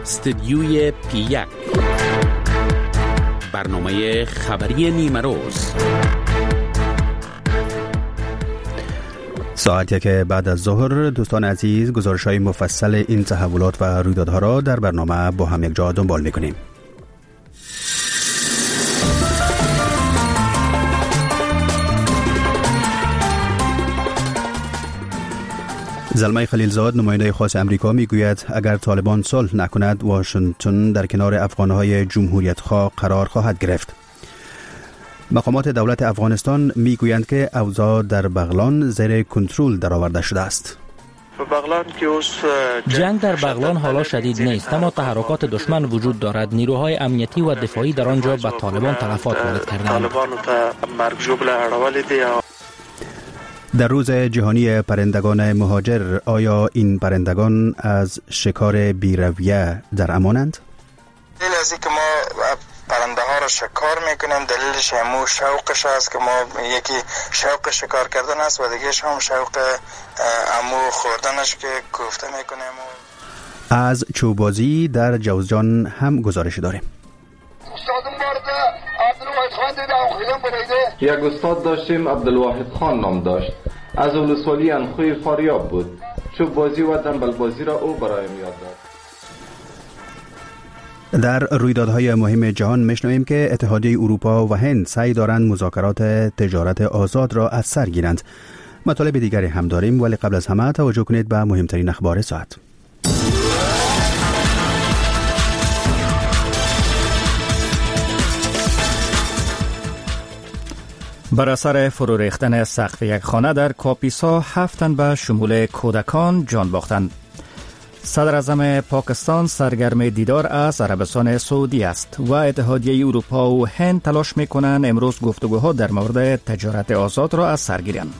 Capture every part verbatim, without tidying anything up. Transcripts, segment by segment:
استدیوی پی یک، برنامه خبری نیمه روز. ساعت یک بعد از ظهر. دوستان عزیز، گزارش های مفصل این تحولات و رویدادها را در برنامه با هم یک جا دنبال میکنیم. زلمی خلیلزاد، نماینده خاص امریکا، میگوید اگر طالبان صلح نکند، واشنگتن در کنار افغانهای جمهوریت خواه قرار خواهد گرفت. مقامات دولت افغانستان میگویند که اوضاع در بغلان زیر کنترل درآورده شده است. جنگ در بغلان حالا شدید نیست، اما تحرکات دشمن وجود دارد. نیروهای امنیتی و دفاعی در آنجا به طالبان تلفات وارد کردند. در روز جهانی پرندگان مهاجر، آیا این پرندگان از شکار بی‌رویه در امانند؟ دلیل از اینکه ما پرنده ها را شکار میکنیم، دلیلش همو شوقش است که ما یکی شوق شکار کردن است و دیگهش هم شوق امو خوردنش که کوفته میکنیم. از چوبازی در جوزجان هم گزارش داریم. یک استاد داشتیم، عبدالواحد خان نام داشت، از ولسوالی انخوی فاریاب بود. چوب بازی و دنبل بازی را او برایم یاد داد. در رویدادهای مهم جهان میشنویم که اتحادیه اروپا و هند سعی دارند مذاکرات تجارت آزاد را از سر گیرند. مطالب دیگری هم داریم، ولی قبل از همه توجه کنید به مهمترین اخبار ساعت. بر اثر فرو ریختن سقف یک خانه در کاپیسا، هفت تن به شمول کودکان جان باختند. صدر اعظم پاکستان سرگرم دیدار از عربستان سعودی است و اتحادیه اروپا و هند تلاش میکنند امروز گفتگوها در مورد تجارت آزاد را از سر گیرند.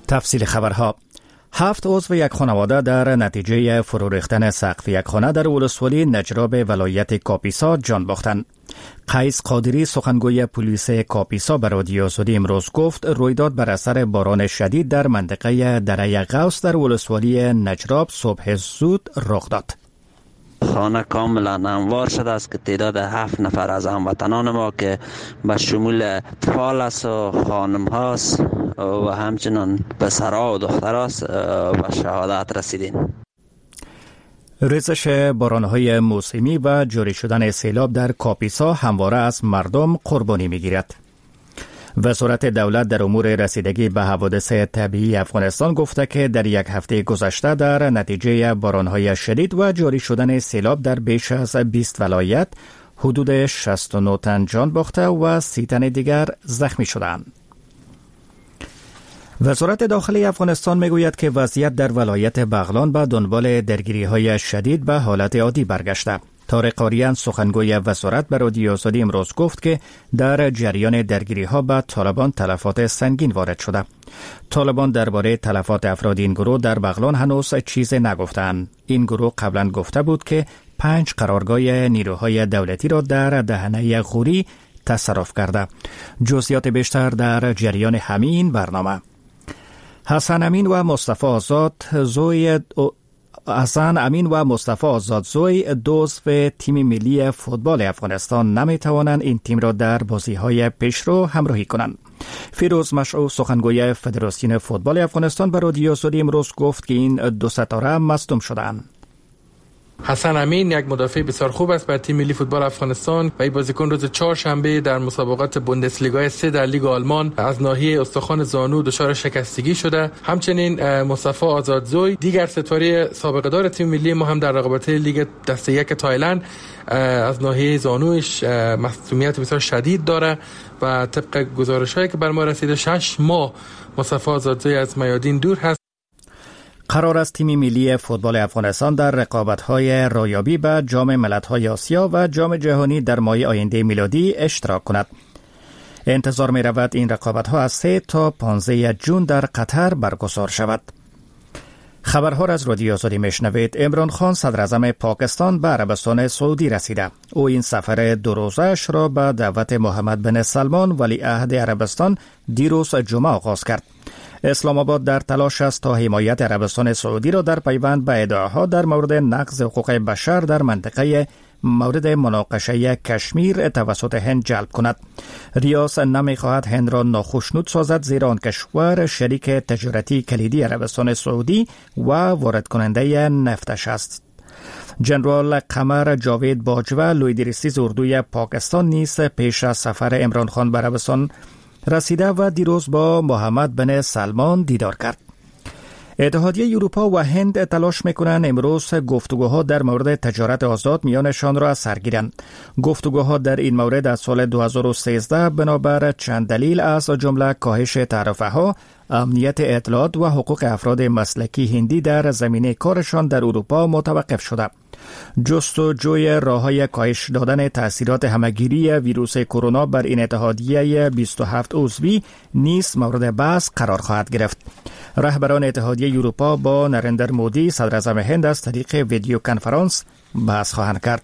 تفصیل خبرها. هفت عضو یک خانواده در نتیجه فرو ریختن سقف یک خانه در ولسوالی نجراب ولایت کاپیسا جان باختند. قیس قادری، سخنگوی پلیس کاپیسا، به رادیو آزادی امروز گفت رویداد بر اثر باران شدید در منطقه دره غوث در ولسوالی نجراب صبح زود رخ داد. خانه کاملا انوار شده است که تعداد هفت نفر از هموطنان ما که به شمول اطفال است و خانم هاست و همچنان پسرها و دخترهاست به شهادت رسیدین. ریزش بارانهای موسمی و جاری شدن سیلاب در کاپیسا همواره از مردم قربانی میگیرد. وزارت دولت در امور رسیدگی به حوادث طبیعی افغانستان گفته که در یک هفته گذشته در نتیجه بارانهای شدید و جاری شدن سیلاب در بیش از بیست ولایت حدود شصت و نه تن جان باخته و سی تن دیگر زخمی شدند. وزارت داخلی افغانستان میگوید که وضعیت در ولایت بغلان به دنبال درگیری‌های شدید به حالت عادی برگشته. طارق آریان، سخنگوی وزارت، به رادیو آزادی امروز گفت که در جریان درگیری‌ها به طالبان تلفات سنگین وارد شده. طالبان درباره تلفات افراد این گروه در بغلان هنوز چیز نگفتند. این گروه قبلا گفته بود که پنج قرارگاه نیروهای دولتی را در دهنه غوری تصرف کرده. جزئیات بیشتر در جریان همین برنامه. حسن امین و مصطفی آزاد زوی حسن امین و مصطفی آزادزوی دو عضو تیم ملی فوتبال افغانستان نمیتوانند این تیم را در بازی‌های پیشرو همراهی کنند. فیروز مشعو، سخنگوی فدراسیون فوتبال افغانستان، به رادیو آزادی امروز گفت که این دو ستاره مصدوم شدند. حسن امین یک مدافع بسیار خوب است بر تیم ملی فوتبال افغانستان و این بازیکن روز چهارشنبه در مسابقات بوندسلیگا سه در لیگ آلمان از ناحیه استخوان زانو دچار شکستگی شده. همچنین مصطفی آزادزوی، دیگر ستاره سابقه دار تیم ملی ما، هم در رقابت لیگ دسته یک تایلند از ناحیه زانوش مصدومیت بسیار شدید داره و طبق گزارش‌هایی که بر ما رسیده شش ماه مصطفی آزادزوی از میادین دور هست. قرار است تیم ملی فوتبال افغانستان در رقابت‌های رایابی به جام ملت‌های آسیا و جام جهانی در ماه آینده میلادی اشتراک کند. انتظار می‌رود این رقابت‌ها از سه تا پانزده جون در قطر برگزار شود. خبرها را از رادیو آزادی میشنوید. عمران خان صدر اعظم پاکستان به عربستان سعودی رسیده. او این سفر دو روزش را به دعوت محمد بن سلمان ولیعهد عربستان دیروز جمعه آغاز کرد. اسلام آباد در تلاش است تا حمایت عربستان سعودی را در پیوند به ادعاها در مورد نقض حقوق بشر در منطقه مورد مناقشه کشمیر توسط هند جلب کند. ریاض نمیخواهد هند را ناخشنود سازد، زیرا آن کشور شریک تجارتی کلیدی عربستان سعودی و وارد کننده نفتش است. جنرال قمر جاوید باجوه، لوی درستیز اردوی پاکستان نیز پیش از سفر عمران خان به عربستان رسیده و دیروز با محمد بن سلمان دیدار کرد. اتحادیه اروپا و هند تلاش میکنند امروز گفتگوها در مورد تجارت آزاد میانشان را از سر گیرند. گفتگوها در این مورد از سال دو هزار و سیزده بنابر چند دلیل از جمله کاهش تعرفه ها، امنیت اطلاعات و حقوق افراد مسلکی هندی در زمینه کارشان در اروپا متوقف شده. جستجوی راه‌های کاهش دادن تاثیرات همگیری ویروس کرونا بر این اتحادیه بیست و هفت عضوی نیز مورد بحث قرار خواهد گرفت. رهبران اتحادیه اروپا با نریندر مودی صدراعظم هند از طریق ویدیو کنفرانس بحث خواهند کرد.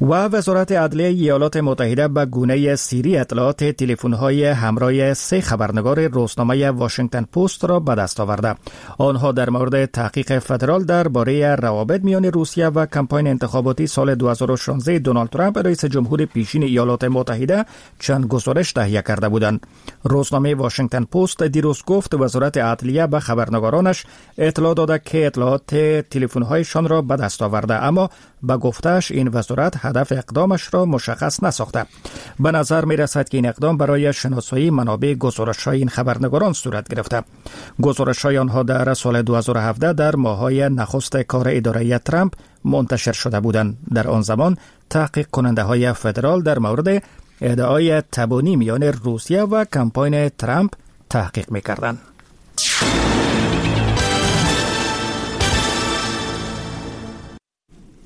و وزارت عدلیه ایالات متحده به گونه سری اطلاعات تلفن‌های همراه سه خبرنگار روزنامه واشنگتن پست را به دست آورده. آنها در مورد تحقیق فدرال درباره روابط میان روسیه و کمپاین انتخاباتی سال دو هزار و شانزده دونالد ترامپ رئیس جمهور پیشین ایالات متحده چند گزارش تهیه کرده بودند. روزنامه واشنگتن پست دیروز گفت وزارت عدلیه به خبرنگارانش اطلاع داده که اطلاعات تلفن‌هایشان را به دست آورده، اما به گفتش این وزارت هدف اقدامش را مشخص نساخته. به نظر می رسد که این اقدام برای شناسایی منابع گزارش‌های این خبرنگاران صورت گرفته. گزارش‌های آنها در سال دو هزار و هفده در ماه‌های نخست کار اداره ترامپ منتشر شده بودند. در آن زمان تحقیق کننده های فدرال در مورد ادعای تبانی میان روسیه و کمپاین ترامپ تحقیق می‌کردند.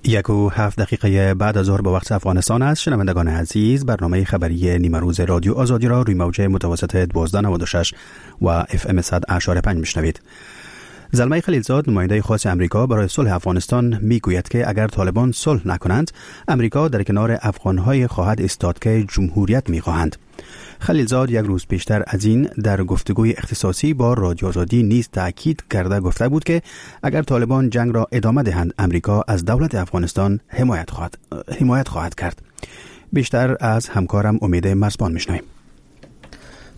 یک و هفت دقیقه بعد از ظهر به وقت افغانستان است. شنوندگان عزیز، برنامه خبری نیمه روز رادیو آزادی را روی موج متوسط دوازده نود و شش و اف ام صد اعشاریه پنج میشنوید. زلمی خلیلزاد، نماینده خاص امریکا برای صلح افغانستان، میگوید که اگر طالبان صلح نکنند، امریکا در کنار افغانهای خواهد ایستاد که جمهوریت میخواهند. خلیلزاد یک روز پیشتر از این در گفتگوی اختصاصی با رادیو آزادی نیز تاکید کرده گفته بود که اگر طالبان جنگ را ادامه دهند، امریکا از دولت افغانستان حمایت خواهد حمایت خواهد کرد. بیشتر از همکارم امید مرزبان میشنویم.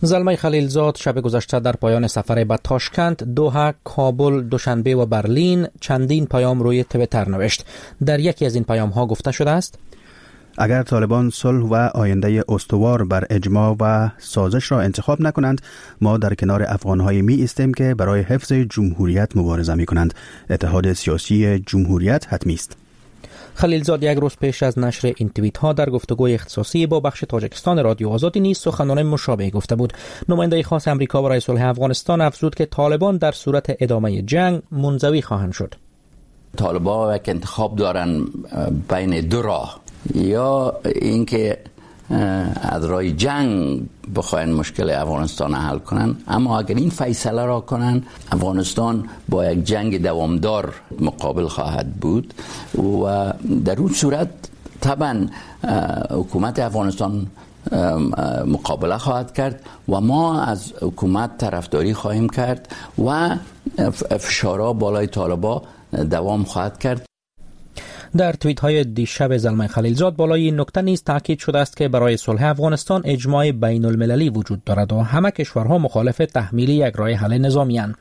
زلمی خلیلزاد شب گذشته در پایان سفر به تاشکند، دوحه، کابل، دوشنبه و برلین چندین پیام روی توییتر نوشت. در یکی از این پیام ها گفته شده است: اگر طالبان صلح و آینده استوار بر اجماع و سازش را انتخاب نکنند، ما در کنار افغان‌های می ایستیم که برای حفظ جمهوریت مبارزه می کنند. اتحاد سیاسی جمهوریت حتمی است. خلیلزاد یک روز پیش از نشر این توییت ها در گفتگوی اختصاصی با بخش تاجیکستان رادیو آزادی نیز سخنان مشابه گفته بود. نماینده خاص امریکا برای صلح افغانستان افزود که طالبان در صورت ادامه جنگ منزوی خواهند شد. طالبان یک انتخاب دارن بین دو راه، یا اینکه از راه جنگ بخواین مشکل افغانستان حل کنن، اما اگر این فیصله را کنن، افغانستان با یک جنگ دوامدار مقابل خواهد بود و در اون صورت طبعا حکومت افغانستان مقابله خواهد کرد و ما از حکومت طرفداری خواهیم کرد و فشارها بالای طالبا دوام خواهد کرد. در توییت های دیشب زلمی خلیلزاد بالای این نکته نیز تاکید شده است که برای صلح افغانستان اجماع بین المللی وجود دارد و همه کشورها مخالف تحمیل یک راه حل نظامی اند.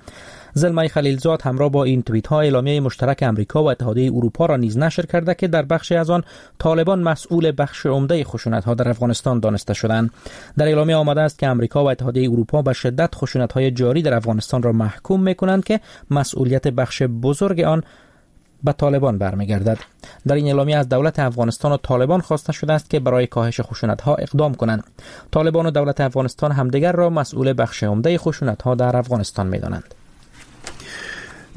زلمی خلیلزاد همراه با این توییت ها اعلامیه مشترک امریکا و اتحادیه اروپا را نیز نشر کرده که در بخشی از آن طالبان مسئول بخش عمده خشونت ها در افغانستان دانسته شدند. در اعلامیه آمده است که امریکا و اتحادیه اروپا به شدت خشونت های جاری در افغانستان را محکوم میکنند که مسئولیت بخش بزرگ آن به طالبان برمیگردد. در این اعلامیه از دولت افغانستان و طالبان خواسته شده است که برای کاهش خشونت‌ها اقدام کنند. طالبان و دولت افغانستان همدیگر را مسئول بخش عمده خشونت‌ها در افغانستان می‌دانند.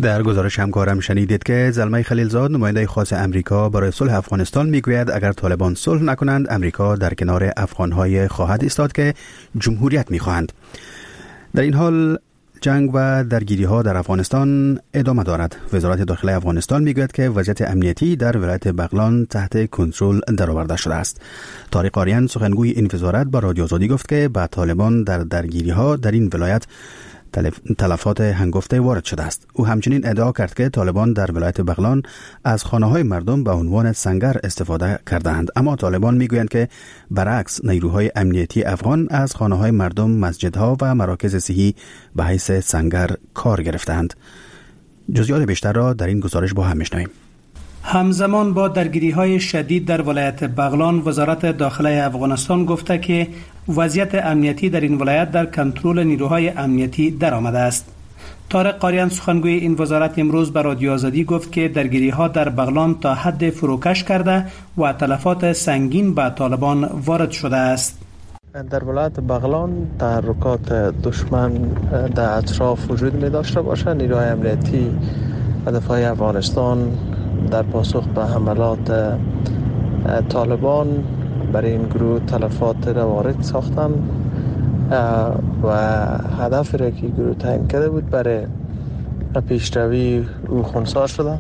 در گزارش همکارم شنیدید که زلمی خلیلزاد، نماینده خاص امریکا برای صلح افغانستان، میگوید اگر طالبان صلح نکنند، امریکا در کنار افغان‌های خواهد ایستاد که جمهوریت می‌خواهند. در این حال جنگ و درگیری ها در افغانستان ادامه دارد. وزارت داخله افغانستان میگوید که وضعیت امنیتی در ولایت بغلان تحت کنترل درآورده شده است. طارق آریان، سخنگوی این وزارت، با رادیو آزادی گفت که به طالبان در درگیری ها در این ولایت تلفات هنگفته وارد شده است. او همچنین ادعا کرد که طالبان در ولایت بغلان از خانه‌های مردم به عنوان سنگر استفاده کردند، اما طالبان میگویند که برعکس نیروهای امنیتی افغان از خانه‌های مردم، مسجدها و مراکز صحی به حیث سنگر کار گرفتند. جزئیات بیشتر را در این گزارش با هم میشنویم. همزمان با درگیری‌های شدید در ولایت بغلان، وزارت داخله افغانستان گفته که وضعیت امنیتی در این ولایت در کنترل نیروهای امنیتی درآمده است. طارق قاریان سخنگوی این وزارت امروز به رادیو آزادی گفت که درگیری‌ها در بغلان تا حد فروکش کرده و تلفات سنگین به طالبان وارد شده است. در ولایت بغلان تحرکات دشمن در اطراف وجود می داشته باشد. نیروهای امنیتی و دفاع افغانستان در پاسخ به حملات طالبان برای این گروه تلفات را وارد ساختند و هدف را که گروه تعیین کرده بود برای پیشروی او خنثی شده.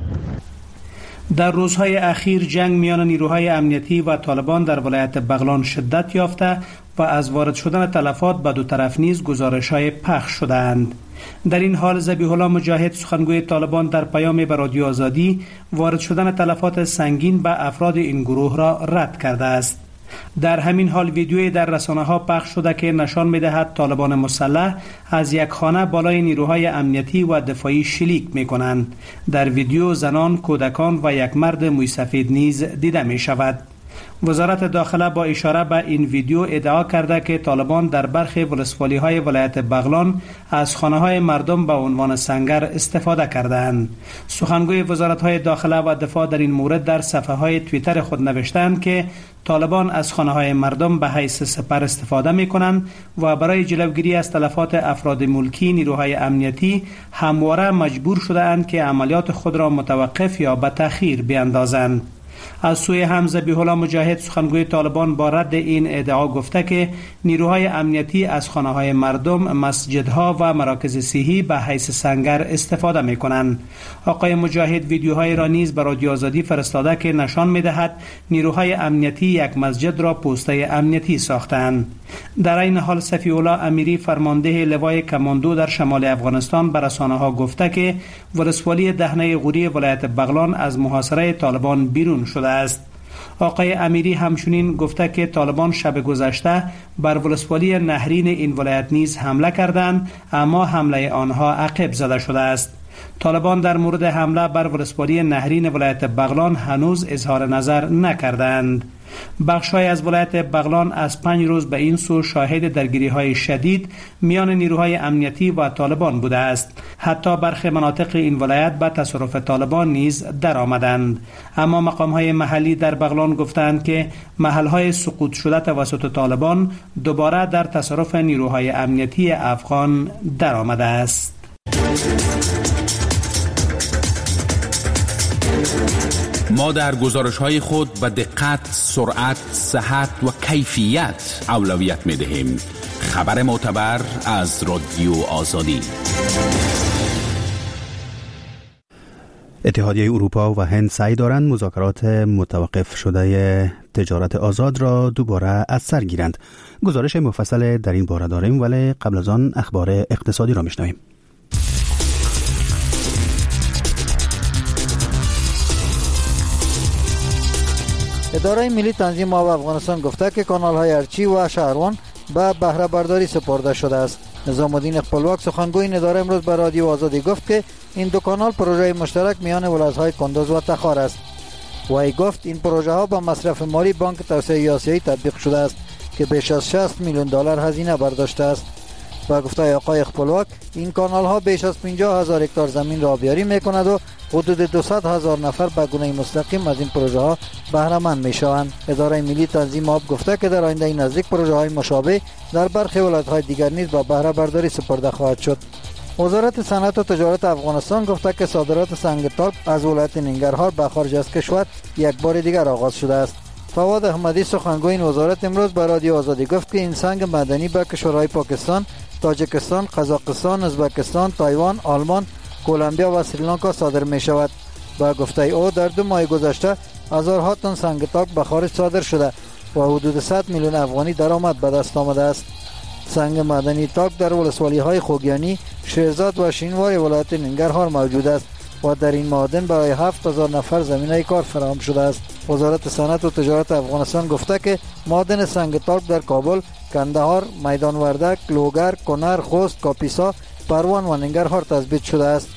در روزهای اخیر جنگ میان نیروهای امنیتی و طالبان در ولایت بغلان شدت یافته و از وارد شدن تلفات به دو طرف نیز گزارش‌های پخش شده‌اند. در این حال ذبیح الله مجاهد سخنگوی طالبان در پیام به رادیو آزادی وارد شدن تلفات سنگین به افراد این گروه را رد کرده است. در همین حال ویدیویی در رسانه ها پخش شده که نشان می‌دهد طالبان مسلح از یک خانه بالای نیروهای امنیتی و دفاعی شلیک می‌کنند. در ویدیو زنان، کودکان و یک مرد موی سفید نیز دیده می‌شود. وزارت داخله با اشاره به این ویدیو ادعا کرده که طالبان در برخی ولسوالی‌های ولایت بغلان از خانه‌های مردم به عنوان سنگر استفاده کردند. سخنگوی وزارت‌های داخله و دفاع در این مورد در صفحه‌های توییتر خود نوشتند که طالبان از خانه‌های مردم به حیث سپر استفاده می‌کنند و برای جلوگیری از تلفات افراد ملکی نیروهای امنیتی همواره مجبور شده‌اند که عملیات خود را متوقف یا به تأخیر بیاندازند. از سوی هم ذبیح الله مجاهد سخنگوی طالبان با رد این ادعا گفته که نیروهای امنیتی از خانه‌های مردم، مسجدها و مراکز صحی به حیث سنگر استفاده می‌کنند. آقای مجاهد ویدیوهای را نیز به رادیو آزادی فرستاده که نشان می‌دهد نیروهای امنیتی یک مسجد را پوسته امنیتی ساختند. در این حال صفی الله امیری فرمانده لوای کماندو در شمال افغانستان به رسانه‌ها گفته که ولسوالی دهنه غوری ولایت بغلان از محاصره طالبان بیرون شده است. آقای امیری همچنین گفته که طالبان شب گذشته بر ولسوالی نهرین این ولایت نیز حمله کردند، اما حمله آنها عقب زده شده است. طالبان در مورد حمله بر ولسوالی نهرین ولایت بغلان هنوز اظهار نظر نکردند. بخش‌های از ولایت بغلان از پنج روز به این سو شاهد درگیری‌های شدید میان نیروهای امنیتی و طالبان بوده است. حتی برخی مناطق این ولایت به تصرف طالبان نیز درآمدند. اما مقام‌های محلی در بغلان گفتند که محل‌های سقوط شده توسط طالبان دوباره در تصرف نیروهای امنیتی افغان درآمده است. ما در گزارش‌های خود به دقت، سرعت، صحت و کیفیت اولویت می‌دهیم. خبر معتبر از رادیو آزادی. اتحادیه اروپا و هند سعی دارند مذاکرات متوقف شده تجارت آزاد را دوباره از سر گیرند. گزارش مفصل در این باره داریم، ولی قبل از آن اخبار اقتصادی را می‌شنویم. اداره ملی تنظیم آب افغانستان گفته که کانال های ارچی و شهروان به بهره برداری سپرده شده است. نظام الدین خپلواک سخنگوی این اداره امروز به رادیو آزادی گفت که این دو کانال پروژه مشترک میان ولایت‌های کندز و تخار است. وی گفت این پروژه ها با مصرف مالی بانک توسعه آسیایی تطبیق شده است که بیش از شصت میلیون دلار هزینه برداشته است. با گفته آقای خپلواک این کانال ها بیش از پنجاه هزار هکتار زمین را آبیاری میکند و حدود دویست هزار نفر به گونه مستقیم از این پروژه ها بهره مند می شوند. اداره ملی تنظیم آب گفته که در آینده نزدیک پروژه های مشابه در برخی ولایت های دیگر نیز به بهره برداری سپرده خواهد شد. وزارت صنعت و تجارت افغانستان گفته که صادرات سنگ تالک از ولایت ننگرهار به خارج از کشور یک بار دیگر آغاز شده است. فواد احمدی سخنگوی این وزارت امروز به رادیو آزادی گفت که این سنگ معدنی به کشورهای پاکستان، تاجیکستان، قزاقستان، ازبکستان، تایوان، آلمان، کلمبیا و سریلانکا صادر می شود. با گفته او در دو ماه گذشته هزارها تن سنگ تاک به خارج صادر شده و حدود صد میلیون افغانی درآمد به دست آمده است. سنگ معدنی تاک در ولسوالی های خوگیانی، شیرزاد و شینوار ولایت ننگرهار موجود است و در این معادن برای هفت هزار نفر زمینه کار فراهم شده است. وزارت صنعت و تجارت افغانستان گفته که معادن سنگ تالک در کابل، کندهار، میدان وردک، لوگر، کنر، خوست، کاپیسا، پروان و ننگرهار تثبیت شده است.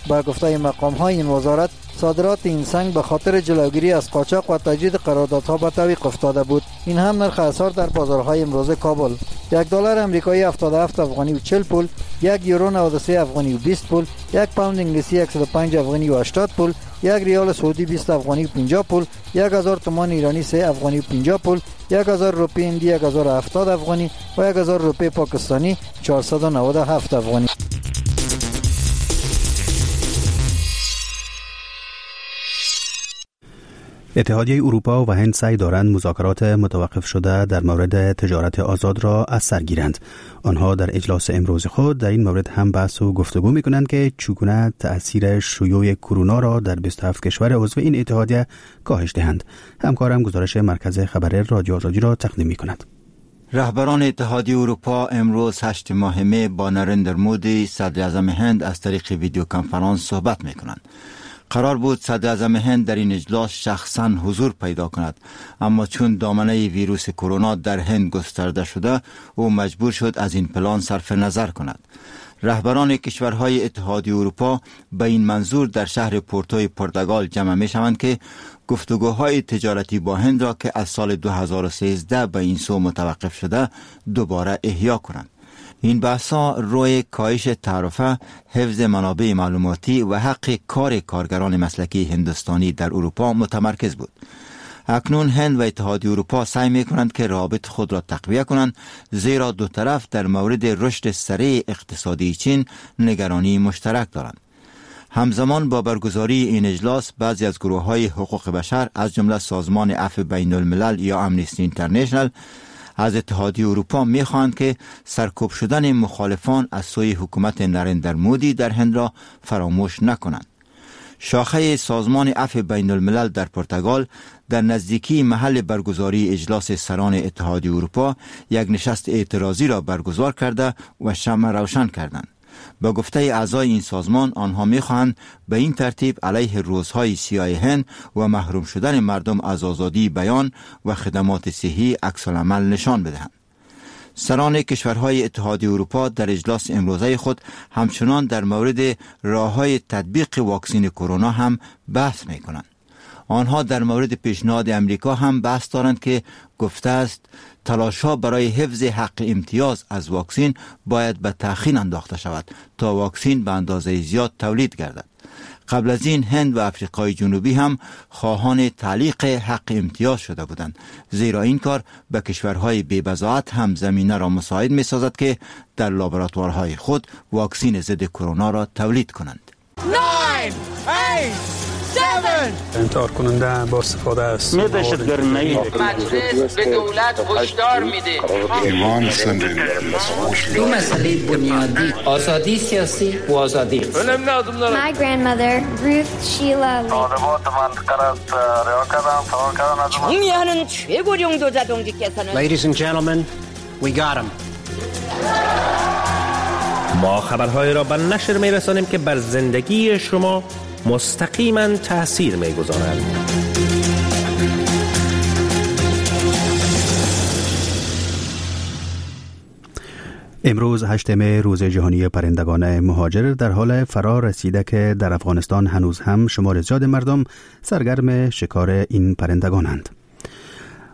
با گفته مقام های این وزارت، صادرات این سنگ به خاطر جلوگیری از قاچاق و تجدید قراردادها به تعویق افتاده بود. این هم نرخ اسعار در بازارهای امروز کابل: یک دلار امریکایی هفتاد و هفت افغانی و چهل پول، یک یورو نود و سه افغانی و بیست پول، یک پوند انگلیسی صد و پنج افغانی و هشتاد پول، یک ریال سعودی بیست افغانی و پنجاه پول، یک هزار تومان ایرانی سه افغانی و پنجاه پول، یک هزار روپیه هندی یک هزار و هفتاد افغانی و یک هزار روپیه پاکستانی چهارصد و نود و هفت افغانی. اتحادیه اروپا و هند سعی دارند مذاکرات متوقف شده در مورد تجارت آزاد را از سر گیرند. آنها در اجلاس امروز خود در این مورد هم بحث و گفتگو می کنند که چگونه تأثیر شیوع کرونا را در بیست و هفت کشور عضو این اتحادیه کاهش دهند. همکارم گزارش مرکز خبر رادیو آزادی را تقدیم می کند. رهبران اتحادیه اروپا امروز هشت ماه می با نریندر مودی صدر اعظم هند از طریق ویدیو کنفرانس صحبت می کنند. قرار بود صدر اعظم هند در این اجلاس شخصا حضور پیدا کند، اما چون دامنه ویروس کرونا در هند گسترده شده، او مجبور شد از این پلان صرف نظر کند. رهبران کشورهای اتحادیه اروپا به این منظور در شهر پورتوی پرتغال جمع می شوند که گفتگوهای تجارتی با هند را که از سال دو هزار و سیزده به این سو متوقف شده دوباره احیا کنند. این بحث‌ها روی کاهش تعرفه، حفظ منابع معلوماتی و حق کار کارگران مسلکی هندوستانی در اروپا متمرکز بود. اکنون هند و اتحادیه اروپا سعی می‌کنند که روابط خود را تقویه کنند، زیرا دو طرف در مورد رشد سریع اقتصادی چین نگرانی مشترک دارند. همزمان با برگزاری این اجلاس، بعضی از گروه‌های حقوق بشر از جمله سازمان عفو بین الملل یا امنیستی اینترنشنال از اتحادیه اروپا می‌خواهند که سرکوب شدن مخالفان از سوی حکومت نریندر مودی در هند را فراموش نکنند. شاخه سازمان عفو بین الملل در پرتغال در نزدیکی محل برگزاری اجلاس سران اتحادیه اروپا یک نشست اعتراضی را برگزار کرده و شمع روشن کردند. با گفته اعضای این سازمان، آنها می‌خواهند به این ترتیب علیه روزهای سیاه هند و محروم شدن مردم از آزادی بیان و خدمات صحی عکس العمل نشان بدهند. سران کشورهای اتحادیه اروپا در اجلاس امروزه خود همچنان در مورد راه‌های تطبیق واکسن کرونا هم بحث می‌کنند. آنها در مورد پیشنهاد امریکا هم بحث دارند که گفته است تلاش‌ها برای حفظ حق امتیاز از واکسن باید به تأخیر انداخته شود تا واکسن به اندازه زیاد تولید گردد. قبل از این هند و افریقای جنوبی هم خواهان تعلیق حق امتیاز شده بودند، زیرا این کار به کشورهای بی‌بضاعت هم زمینه را مساعد می‌سازد که در لابراتوارهای خود واکسن ضد کرونا را تولید کنند. انتحار کننده با استفاده از مجلس به دولت هشدار میده. دو مسئله بنیادی، آزادی سیاسی و آزادی. My grandmother, Ruth Sheila. 경의하는 최고령도자 동지께서는 Ladies and gentlemen, we got him. ما خبرهای را به نشر میرسانیم که بر زندگی شما مستقیما تأثیر می‌گذارند. امروز هشتم روز جهانی پرندگان مهاجر در حال فرا رسیده که در افغانستان هنوز هم شمار زیاد مردم سرگرم شکار این پرندگانند.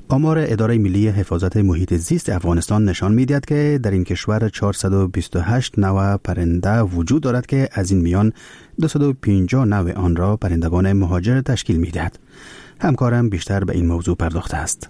آمار اداره ملی حفاظت محیط زیست افغانستان نشان می‌دهد که در این کشور چهارصد و بیست و هشت نوع پرنده وجود دارد که از این میان دویست و پنجاه نوع آن را پرندگان مهاجر تشکیل می‌دهد. همکارم بیشتر به این موضوع پرداخته است.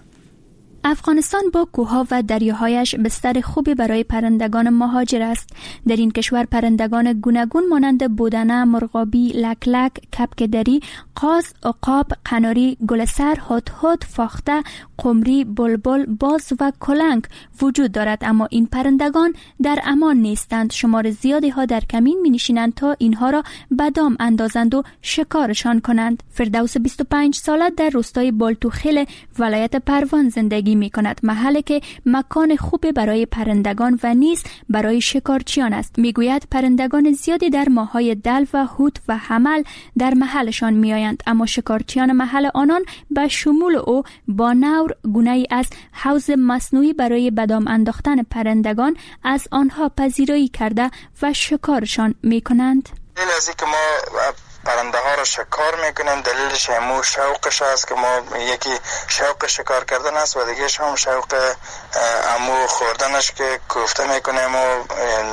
افغانستان با کوه‌ها و دریاهایش بستر خوبی برای پرندگان مهاجر است. در این کشور پرندگان گوناگون مانند بودنه، مرغابی، لک لک، کبک دری، قاز، عقاب، قناری، گلسر، هدهد، فاخته، قمری، بلبل، باز و کلنگ وجود دارد، اما این پرندگان در امان نیستند. شمار زیادی ها در کمین می نشینند تا اینها را به دام اندازند و شکارشان کنند. فردوس بیست و پنج ساله در روستای بالتوخیل ولایت پروان زندگی زندگی می کند، محلی که مکان خوب برای پرندگان و نیز برای شکارچیان است. می گوید پرندگان زیادی در ماه‌های دلو و حوت و حمل در محلشان می آیند، اما شکارچیان محل آنان به شمول او با نور، گونه‌ای از حوض مصنوعی برای بدام انداختن پرندگان، از آنها پذیرایی کرده و شکارشان می کنند. دلیل از اینکه ما پرنده ها را شکار میکنیم دلیلش همو شوقش است که ما یکی شوق شکار کردن است و دیگه هم شوق امو خوردنش که کوفته میکنیم و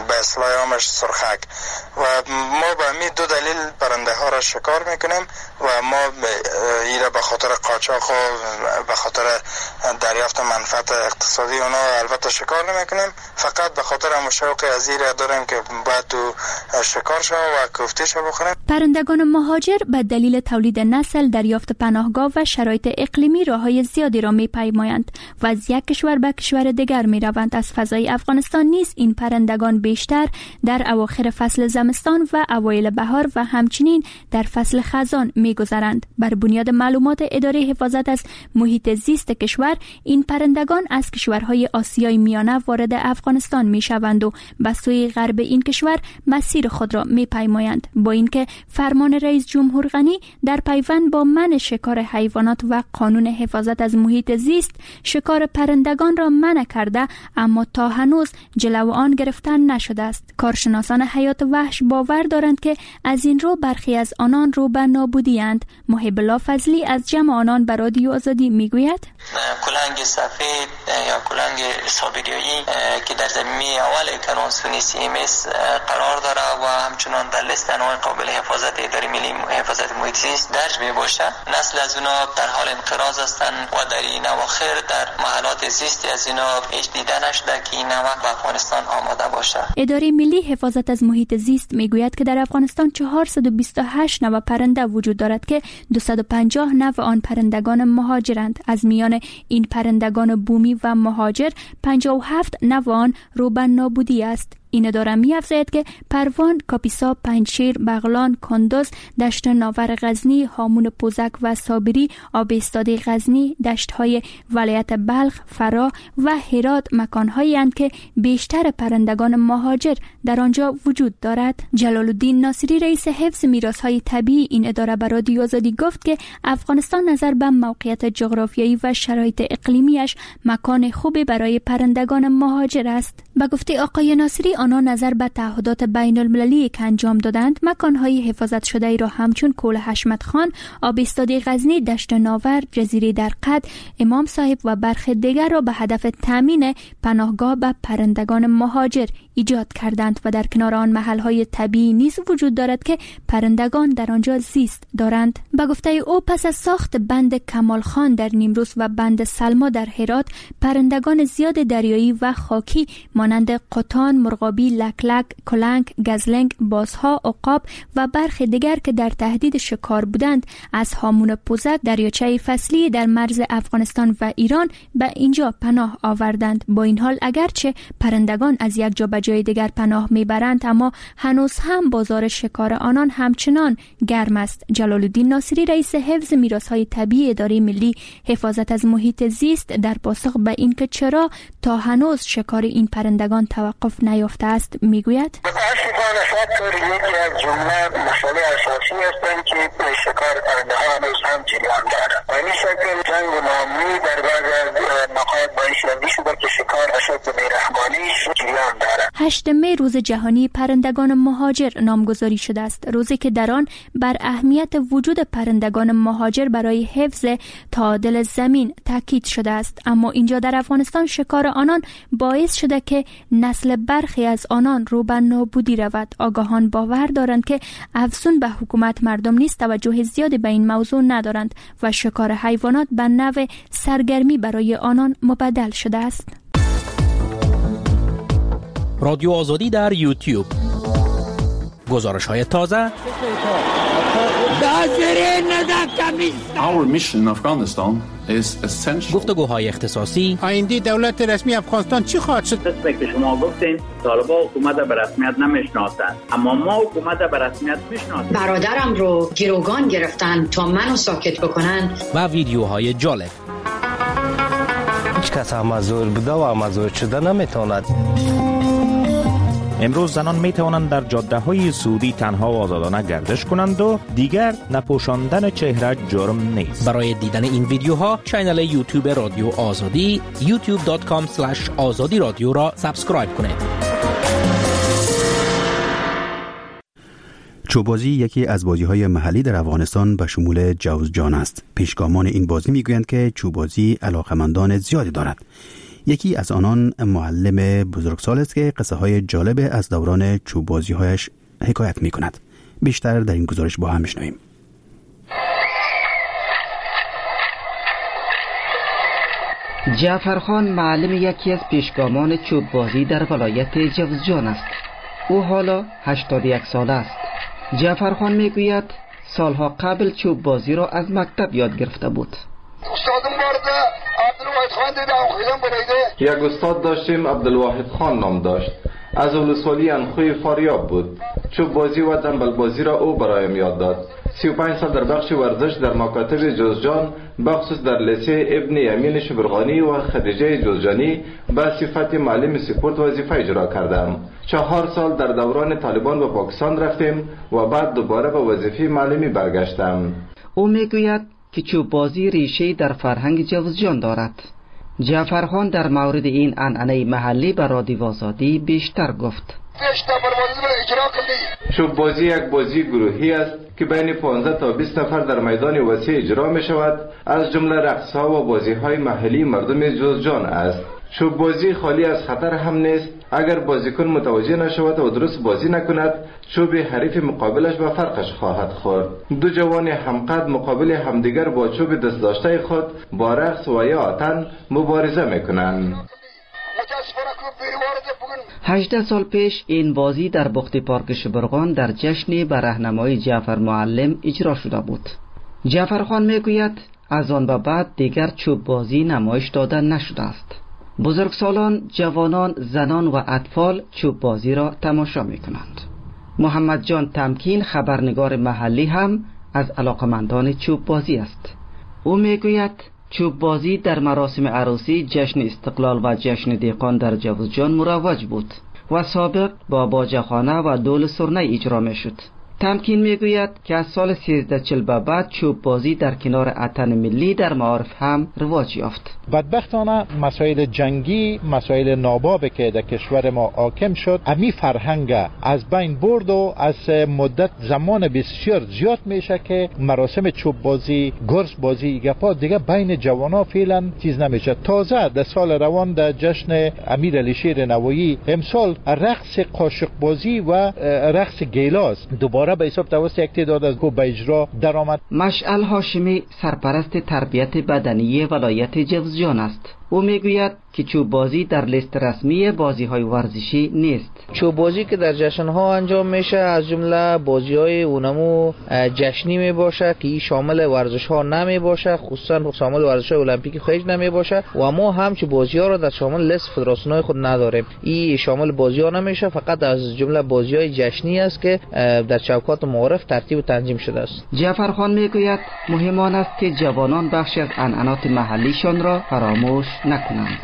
به اصطلاح عامش سرخک، و ما به می دو دلیل پرنده ها را شکار میکنیم و ما ایره به خاطر قاچاق و به خاطر دریافت منفعت اقتصادی اونا البته شکار نمیکنیم، فقط به خاطر امو شوق از ایره داریم که باید تو شکار شو و کوفته شو بخوریم. پرندگان مهاجر به دلیل تولید نسل، دریافت پناهگاه و شرایط اقلیمی راه‌های زیادی را می‌پیمایند و از یک کشور به کشور دیگر می‌روند. از فضای افغانستان نیز این پرندگان بیشتر در اواخر فصل زمستان و اوایل بهار و همچنین در فصل خزان می‌گذرند. بر بنیاد معلومات اداره حفاظت از محیط زیست کشور، این پرندگان از کشورهای آسیای میانه وارد افغانستان می‌شوند و به سوی غرب این کشور مسیر خود را می‌پیمایند. با اینکه فرمان رئیس جمهور غنی در پیوند با منع شکار حیوانات و قانون حفاظت از محیط زیست شکار پرندگان را منع کرده، اما تا هنوز جلو آن گرفتن نشده است. کارشناسان حیات وحش باور دارند که از این رو برخی از آنان رو به نابودی اند. محب الله فضلی از جمع آنان به رادیو آزادی میگوید: کلنگ سفید یا کلنگ سابریایی که در زمینه اول کنوانسیون سی ام اس قرار داره و همچنان در لیست انواع قابل حفاظت اداره ملی حفاظت محیط زیست درج می باشه، نسل از اونا در حال انقراض هستند و در این اواخر در محلات زیستی از اینا هیچ دیده نشده که این نوع به افغانستان آماده باشه. اداره ملی حفاظت از محیط زیست میگوید که در افغانستان چهارصد و بیست و هشت نوع پرنده وجود دارد که دویست و پنجاه نوع آن پرندگان مهاجرند. از میان این پرندگان بومی و مهاجر پنجاه و هفت نوع آن رو به نابودی است. این اداره می‌افزاید که پروان، کاپیسا، پنجشیر، بغلان، کندز، دشت ناور غزنی، هامون پوزک و صابری، آب ایستاده غزنی، دشت‌های ولایت بلخ، فراه و هرات مکان‌هایی اند که بیشتر پرندگان مهاجر در آنجا وجود دارد. جلال الدین ناصری رئیس حفظ میراث‌های طبیعی این اداره به رادیو آزادی گفت که افغانستان نظر به موقعیت جغرافیایی و شرایط اقلیمیش مکان خوبی برای پرندگان مهاجر است. به گفته آقای ناصری، آنها نظر به تعهدات بین المللی که انجام دادند، مکان‌های حفاظت شده ای را همچون کول حشمت خان، آب ایستاده غزنی، دشت ناور، جزیره درقد، امام صاحب و برخی دیگر را به هدف تامین پناهگاه به پرندگان مهاجر ایجاد کردند و در کنار آن محل‌های طبیعی نیز وجود دارد که پرندگان در آنجا زیست دارند. به گفته او، پس از ساخت بند کمال خان در نیمروز و بند سلما در هرات، پرندگان زیاد دریایی و خاکی مانند قطان، مرغابی، لکلک، کلنگ، گزلنگ، بازها، عقاب و برخی دیگر که در تهدید شکار بودند، از هامون پوزک، دریاچه فصلی در مرز افغانستان و ایران به اینجا پناه آوردند. با این حال، اگرچه پرندگان از یک جا به جای دیگر پناه میبرند، اما هنوز هم بازار شکار آنان همچنان گرم است. جلال الدین ناصری رئیس حفظ میراث‌های طبیعی اداره ملی حفاظت از محیط زیست در پاسخ به اینکه چرا تا هنوز شکار این پرندگان توقف نیافته است میگوید: یکی از جمله مسئله اساسی هستند که شکار پرنده ها هنوز هم جریان دارد. و این شکل جنگ و ناامنی در بعض از نقاط باعث شده که شکار به شکل بی‌رحمانه جریان دارد. هشت می روز جهانی پرندگان مهاجر نامگذاری شده است، روزی که در آن بر اهمیت وجود پرندگان مهاجر برای حفظ تعادل زمین تاکید شده است. اما اینجا در افغانستان شکار آنان باعث شده که نسل برخی از آنان رو به نابودی رود. آگاهان باور دارند که افزون به حکومت مردم نیز توجه زیادی به این موضوع ندارند و شکار حیوانات به نوع سرگرمی برای آنان مبدل شده است. رادیو آزادی در یوتیوب، گزارش های تازه، گفتگوهای اختصاصی، آینده دولت رسمی افغانستان چی خواهد شد؟ قسمی که شما گفتین طالبان حکومت به رسمیت نمیشناسند، اما ما حکومت به رسمیت میشناسیم. برادرم رو گروگان گرفتن تا منو ساکت بکنن و ویدیوهای جالب. هیچ کس همزور بوده و همزور شده نمیتواند. امروز زنان می توانند در جاده های سعودی تنها و آزادانه گردش کنند و دیگر نپوشاندن چهره جرم نیست. برای دیدن این ویدیوها channel یوتیوب رادیو آزادی یوتیوب دات کام اسلش آزادی رادیو را subscribe کنید. چوبازی یکی از بازی‌های محلی در افغانستان به شمول جوزجان است. پیشگامان این بازی می‌گویند که چوبازی علاقه‌مندان زیادی دارد. یکی از آنان معلم بزرگسال است که قصه های جالب از دوران چوبازی‌هایش حکایت می‌کند. بیشتر در این گزارش با هم می‌شنویم. جعفرخان معلم یکی از پیشگامان چوبازی در ولایت جوزجان است. او حالا هشتاد و یک ساله است. جعفرخان میگوید سالها قبل چوب بازی را از مکتب یاد گرفته بود. یک استاد داشتیم عبدالواحد خان نام داشت. از ولسوالی انخوی فاریاب بود. چوب بازی و دنبل بازی را او برایم یاد داد. سی و پنج سال در بخش ورزش در مکاتب جوزجان، بخصوص در لیسه ابن یمین شبرغانی و خدیجه جوزجانی به صفت معلم سپورت وظیفه اجرا کردم. چهار سال در دوران طالبان به پاکستان رفتیم و بعد دوباره به وظیفه معلمی برگشتم. او میگوید که چوب بازی ریشه در فرهنگ جوزجان دارد. جعفرخان در مورد این عنعنه محلی به رادیو آزادی بیشتر گفت. چوب بازی یک بازی گروهی است که بین پانزده تا بیست نفر در میدان وسیع اجرا می شود. از جمله رقص ها و بازی های محلی مردم جوزجان است. چوب بازی خالی از خطر هم نیست. اگر بازیکن متوجه نشود و درست بازی نکند، چوب حریف مقابلش به فرقش خواهد خورد. دو جوان همقد مقابل همدیگر با چوب دست داشته خود با رقص و یا آتن مبارزه میکنند. هجده سال پیش این بازی در بخت پارک شبرغان در جشن به راهنمایی جعفر معلم اجرا شده بود. جعفر خان میگوید از آن به بعد دیگر چوب بازی نمایش داده نشده است. بزرگسالان، جوانان، زنان و اطفال چوب بازی را تماشا می کنند. محمد جان تمکین خبرنگار محلی هم از علاقمندان چوب بازی است. او میگوید چوب بازی در مراسم عروسی، جشن استقلال و جشن دیقان در جوزجان مروج بود و سابق با باجه‌خانه و دول سرنه اجرا می شد. تمکین میگوید که از سال سیزده چهل به بعد چوب بازی در کنار اتن ملی در معارف هم رواج یافت. بدبختانه مسائل جنگی، مسائل ناباب که در کشور ما حاکم شد، امی فرهنگ از بین برد و از مدت زمان بسیار زیاد میشه که مراسم چوب بازی، گرز بازی، گپا دیگه بین جوانا فعلا چیز نمیشه. تازه در سال روان در جشن امیر علی شیر نوایی امسال رقص قاشق بازی و رقص گیلاس دوباره به حساب توسط یک تعداد از گو به اجرا درآمد. مشعل هاشمی سرپرست تربیت بدنی ولایت جوزجان است. او میگوید که چوب بازی در لیست رسمی بازی های ورزشی نیست. چوب بازی که در جشن ها انجام میشه از جمله بازی های اونمو جشنی می باشه که این شامل ورزش ها نمی باشه، خصوصا شامل ورزش های المپیک خیج نمی باشه و ما هم چه بازی ها را در شامل لیست فدراسیون های خود نداریم. این شامل بازی ها نمیشه، فقط از جمله بازی های جشنی است که در چوکات معارف ترتیب و تنظیم شده است. جعفر خان میگوید مهم آن است که جوانان بخشی از عنعنات محلیشان را فراموش نکنند.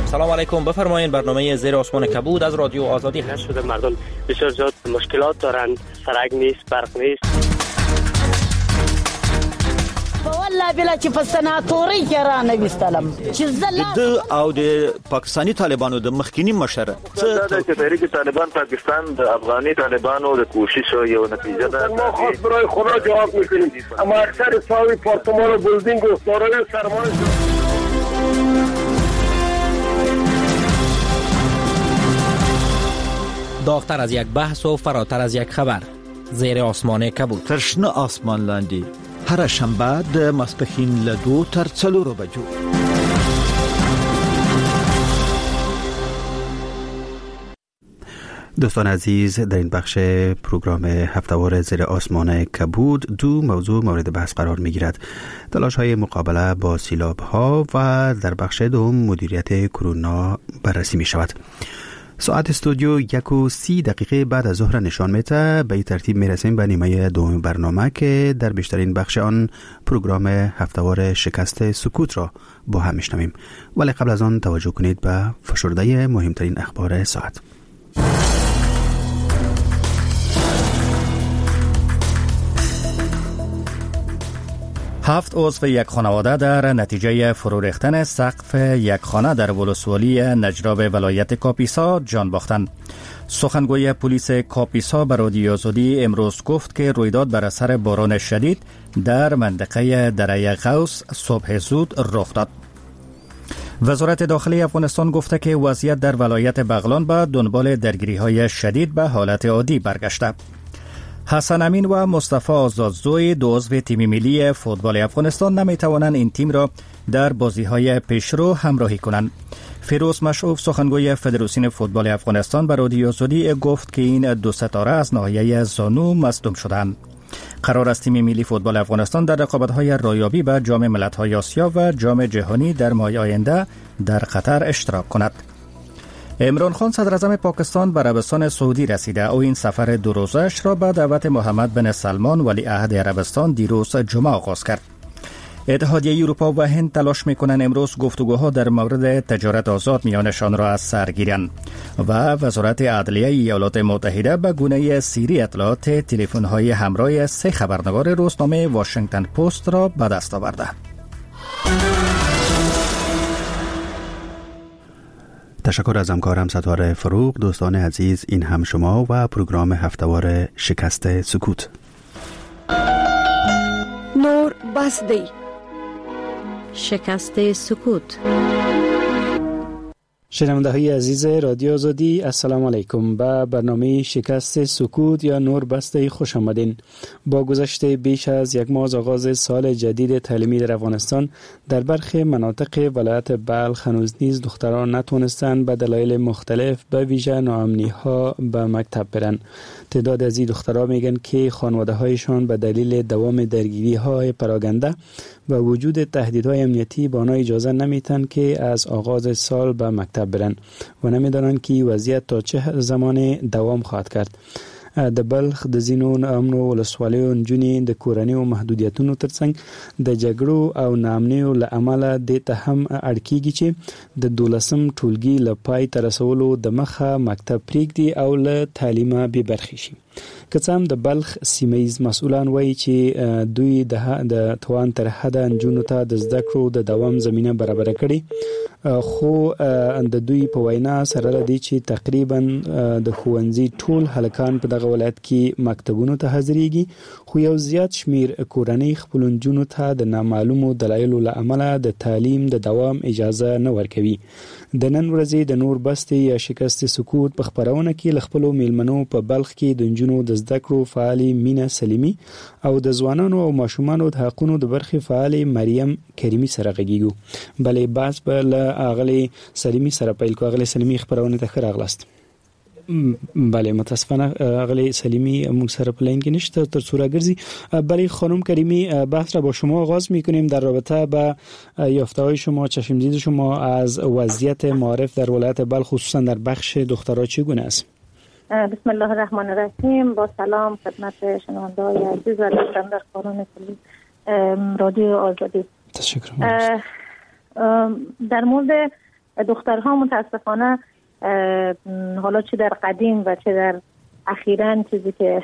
سلام علیکم، بفرمایید برنامه زیر آسمان کبود از رادیو آزادی. شده مردم بسیار زیاد مشکلات دارند، سرک نیست، برق نیست. والله بلا چې په سناتوري کې را نه وستلم چې زه د او د پاکستاني طالبانو د مخکینی مشر څه چې تحریک طالبان پاکستان د افغاني طالبانو د کوشش یو نتیجه ده. ما خود برای خدا جواب میکنیم، اما اکثر صاحب پارتمان و بلدینگ و دارای سرمایه. داغتر از یک بحث و فراتر از یک خبر، زیر آسمان کبود. تر شنه آسمان لاندې هره شنبه د ماسپښین له دوو تر څلورو بجو. دوستان عزیز، در این بخش پروگرام هفته‌وار زیر آسمان کبود دو موضوع مورد بحث قرار می‌گیرد: تلاش‌های مقابله با سیلاب‌ها و در بخش دوم مدیریت کرونا بررسی می‌شود. ساعت استودیو یک و سی دقیقه بعد از ظهر نشان میده. به این ترتیب میرسیم به نیمه دوم برنامه که در بیشترین بخش آن پروگرام هفته‌وار شکست سکوت را با هم میشنویم، ولی قبل از آن توجه کنید به فشرده مهمترین اخبار ساعت. هفت عضو یک خانواده در نتیجه فرو ریختن سقف یک خانه در ولسوالی نجراب ولایت کاپیسا جان باختند. سخنگوی پلیس کاپیسا به رادیو آزادی امروز گفت که رویداد بر اثر باران شدید در منطقه دره غوث صبح زود رخ داد. وزارت داخلی افغانستان گفته که وضعیت در ولایت بغلان به دنبال درگیری‌های شدید به حالت عادی برگشته. حسن امین و مصطفی آزادزوی دو عضو تیم ملی فوتبال افغانستان نمیتوانند این تیم را در بازی‌های پیشرو همراهی کنند. فیروز مشعوف سخنگوی فدراسیون فوتبال افغانستان به رادیو آزادی گفت که این دو ستاره از ناحیه زانو مصدوم شدند. قرار است تیم ملی فوتبال افغانستان در رقابت‌های رایابی به جام ملت‌های آسیا و جام جهانی در ماه آینده در قطر اشتراک کند. عمران خان صدر اعظم پاکستان به عربستان سعودی رسیده. او این سفر دو روزش را به دعوت محمد بن سلمان ولی عهد عربستان دیروز جمعه آغاز کرد. اتحادیه اروپا و هند تلاش میکنند امروز گفتگوها در مورد تجارت آزاد میانشان را از سر گیرند و وزارت عدلیه ایالات متحده به گونه سیری اطلاعات تلفن‌های همراه سه خبرنگار روزنامه واشنگتن پست را به دست آورده. تشکر از همکارم ستاره فروغ. دوستان عزیز، این هم شما و پروگرام هفته‌وار شکست سکوت. نور بس دی شکست سکوت. شنونده های عزیز رادیو آزادی، السلام علیکم. به برنامه شکست سکوت یا نور بسته خوش آمدین. با گذشت بیش از یک ماه از آغاز سال جدید تعلیمی در افغانستان، در برخی مناطق ولایت بلخ هنوز نیز دختران نتوانستند به دلایل مختلف به ویژه ناامنی ها به مکتب برن. تعداد از این دختران میگن که خانواده هایشان به دلیل دوام درگیری های پراگنده و وجود تهدیدهای امنیتی به آنها اجازه نمیتن که از آغاز سال به مکتب برن و نمیدانند که وضعیت تا چه زمان دوام خواهد کرد. د بلخ د ځینو ناامنو ولسوالیو نجونې د کورنیو محدودیتونو ترڅنګ د جګړو او ناامنیو له امله دې ته هم اړ کیږي چې د دولسم ټولګي له پای ته رسولو د مخه مکتب پرېږدي او له تعلیمه بې برخې شي. که څه هم د بلخ سیمه ییز مسؤلان وایي چې دوی د توان تر حده نجونو ته د زده کړو د دوام زمینه برابره کړې، خو د دوی په وینا سره له دې چې تقریبا د ښوونځي ټول هلکان په دغه ولایت کې مکتبونو ته حاضرېږي، خو یو زیات شمیر کورنۍ خپلو نجونو ته د نامعلومو دلایلو له امله د تعلیم د دوام اجازه نه ورکوي. د نن ورځې د نور بستې یا شکست سکوت په خپرونه کې له خپلو میلمنو په بلخ کې د نجونو د زده کړو فعالې مینه سلیمي او د ځوانانو او ماشومانو د حقونو د برخې فعالې مریم کریمي سره غږیږو. بلې بحث به له اغلې سلیمي سره پیل کو. اغلې سلیمي، خپرونې ته ښه راغلاست. بله، متاسفانه اغلی سلیمی موږ سره په لاین کې نشته تر څو راګرځي. بله خانم کریمی، بحث را با شما آغاز میکنیم در رابطه با یافته‌های شما، چشمدید شما از وضعیت معارف در ولایت بلخ خصوصا در بخش دخترها چگونه است؟ بسم الله الرحمن الرحیم. با سلام خدمت شنونده‌های عزیز و دوستان در کانون رادیو آزادی. تشکر. در مورد دخترها متاسفانه حالا چه در قدیم و چه در اخیراً، چیزی که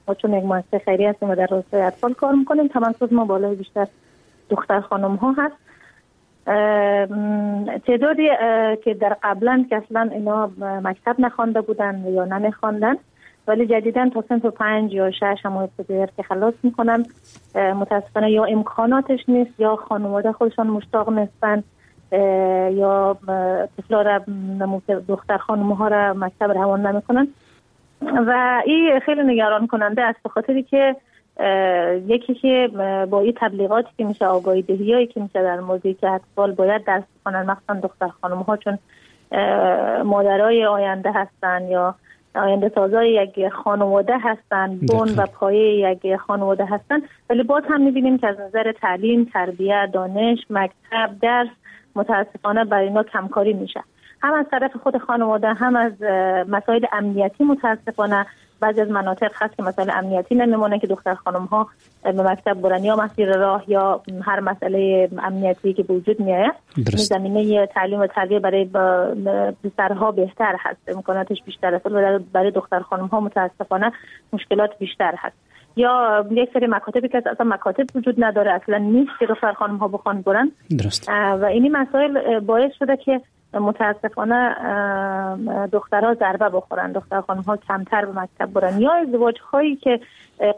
ما چون یک مؤسسه خیریه هستیم و در راستای اطفال کار میکنیم، تمرکز ما بالای بیشتر دختر خانم ها هست. تعدادی که در قبلا که اصلا اینا مکتب نخوانده بودن یا نمیخواندن، ولی جدیداً تا صنف پنج یا شش هم ابتدایی که خلاص میکنن، متاسفانه یا امکاناتش نیست یا خانواده خودشان مشتاق نیستن یا طفلا را، دختر خانم ها را مکتب روان نمیکنن و این خیلی نگران کننده است، به خاطری که یکی که با این تبلیغاتی که میشه، آگاهی دهیایی که میشه در موضوعی که اطفال باید درس بخوانن، مخصوصا دختر خانم ها چون مادرای آینده هستن یا آینده سازای یک خانواده هستن، بن و پایه یک خانواده هستن، ولی باز هم میبینیم که از نظر تعلیم، تربیت، دانش، مکتب، درس متاسفانه برای اینا کمکاری میشه. هم از طرف خود خانواده هم از مسائل امنیتی. متاسفانه بعضی از مناطق هست که مسائل امنیتی نمیمونه که دختر خانم ها به مکتب برن، یا مسیر راه یا هر مسئله امنیتی که به وجود میاد. زمینه تعلیم و تربیه برای پسرها بهتر هست، امکاناتش بیشتر است، ولی برای دختر خانم ها متاسفانه مشکلات بیشتر هست. یا یک سری مکاتبی که اصلا مکاتب وجود نداره، اصلا نیست که دختر خانم ها بخوان برن. درست. و این مسائل باعث شده که متاسفانه دخترها ضربه بخورن، دختر خانم ها کمتر به مکتب برن، یا ازدواج هایی که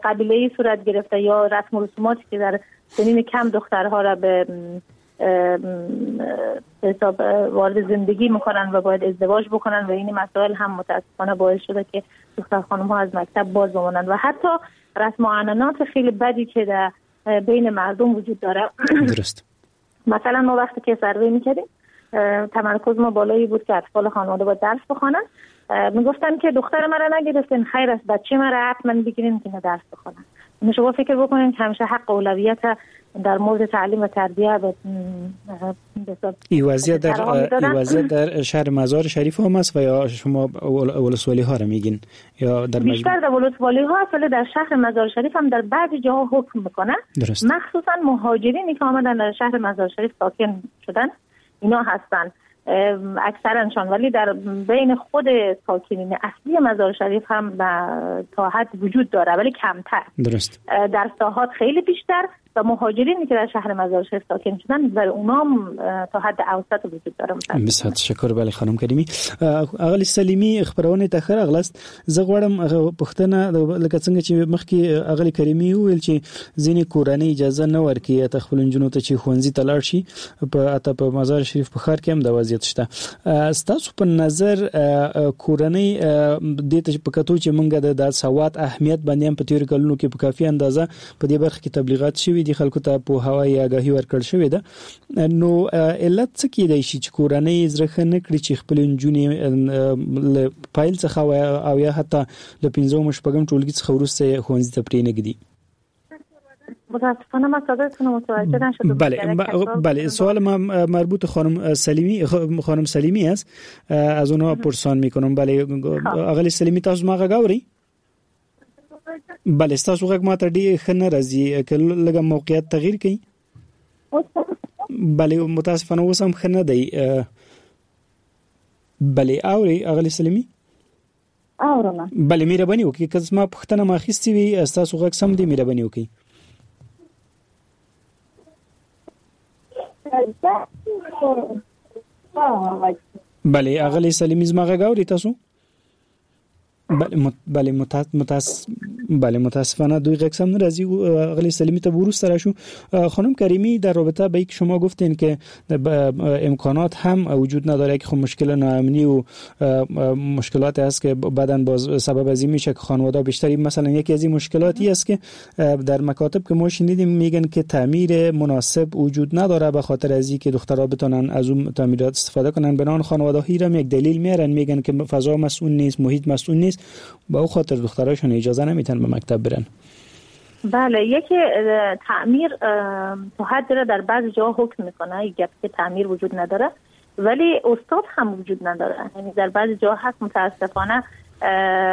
قبیله‌ای صورت گرفته یا رسم و رسوماتی که در سنین کم دخترها را به حساب وارد زندگی میکنن و باید ازدواج بکنن و این مسائل هم متاسفانه باعث شده که دختر خانم ها از مکتب باز بمانند و حتی رسم و عنعنات خیلی بدی که در بین مردم وجود داره. درست. مثلا ما وقتی که سروی میکردیم تمرکز ما بالایی بود که اطفال خانواده باید درس بخوانن، میگفتن که دختر مرا نگرفتین، خیر است، بچه مرا حتما بگیرین که درس بخوانن. شما فکر بکنین که همیشه حق اولویت در مورد تعلیم و تربیه به این وضعیت در این وضعیت در شهر مزار شریف هم است و یا شما ولسوالی ها را میگین یا در بیشتر در ولسوالی ها است، ولی در شهر مزار شریف هم در بعضی جاها حکم میکنه. مخصوصا مهاجرینی که آمدن در شهر مزار شریف ساکن شدن اینا هستن اکثرشان، ولی در بین خود ساکنین اصلی مزار شریف هم تا حد وجود داره ولی کمتر. درست. در ساحات خیلی بیشتر و مهاجرینی که در شهر مزار شریف ساکن شدن برای اونام تا حد اوسط وجود داره. بسیار تشکر. بله خانم کریمی. اغلی سلیمی خبرونه ته ښه راغلاست. زه غواړم پوښتنه لکه څنګه چې مخکې اغلی کریمی وویل چې ځینې کورنۍ اجازه نه ورکوي ته خپل نجونو ته چې ښوونځي ته لاړ شي، په حتی په مزار شریف په ښار کې هم دا وضعیت شته. ستاسو په نظر کورنۍ دې ته په کتو چې مونږ د سواد اهمیت باندې هم په تېرو کلونو کې په کافي اندازه په دې برخه کې تبلیغات شوي دي، خلکو ته پوهاوی یا آګاهي ورکړل شوې ده، نو علت څه کېدای شي چې کورنۍ زړه ښه نه کړي چې خپلې نجونې له پیل څخه او یا حتی له پنځم او شپږم ټولګي څخه وروسته ښوونځي ته پرېنږدي؟ متاسفانه من صدایتون متوجه نشدم. بله بله، سوال ما مربوط خانم سلیمی خانم سلیمی است، از اونها پرسان میکنم. بله اغلی سلیمی، تاسو ما غږ اورئ؟ بله ستاسو غږ ماته ډېر ښه نه راځي، که لږه موقعیت تغییر کړئ. بله متاسفانه اوس هم ښه نه دی. بله اورئ اغلی سلیمی؟ اورم. بله مهرباني وکړئ، که زما پوښتنه ما اخیستې وي ستاسو غږ سم دی، مهرباني وکړئ. بله اغلی سلیمی زما غږ اورئ تاسو؟ بله بله متاس بله متاسفانه دوی غږ سم نه راځي. اغلی سلیمی ته وروسته راشو. خانم کریمی، در رابطه با اینکه شما گفتین که امکانات هم وجود نداره که خب مشکل ناامنی و مشکلات هست که بعداً باز سبب از این میشه که خانواده بیشتری، مثلا یکی از این مشکلاتی است که در مکاتب که ما شنیدیم میگن که تعمیر مناسب وجود نداره به خاطر از اینکه دخترها بتونن از اون تعمیرات استفاده کنن. بنان خانواده ها هم یک دلیل میارن، میگن که فضا مسئول نیست، محیط مسئول نیست، با او خاطر دختراشون اجازه نمیتن به مکتب برن. بله، یکی تعمیر تا حد را در بعض جاها حکم میکنه، یک که تعمیر وجود نداره، ولی استاد هم وجود نداره. یعنی در بعض جاها هست متاسفانه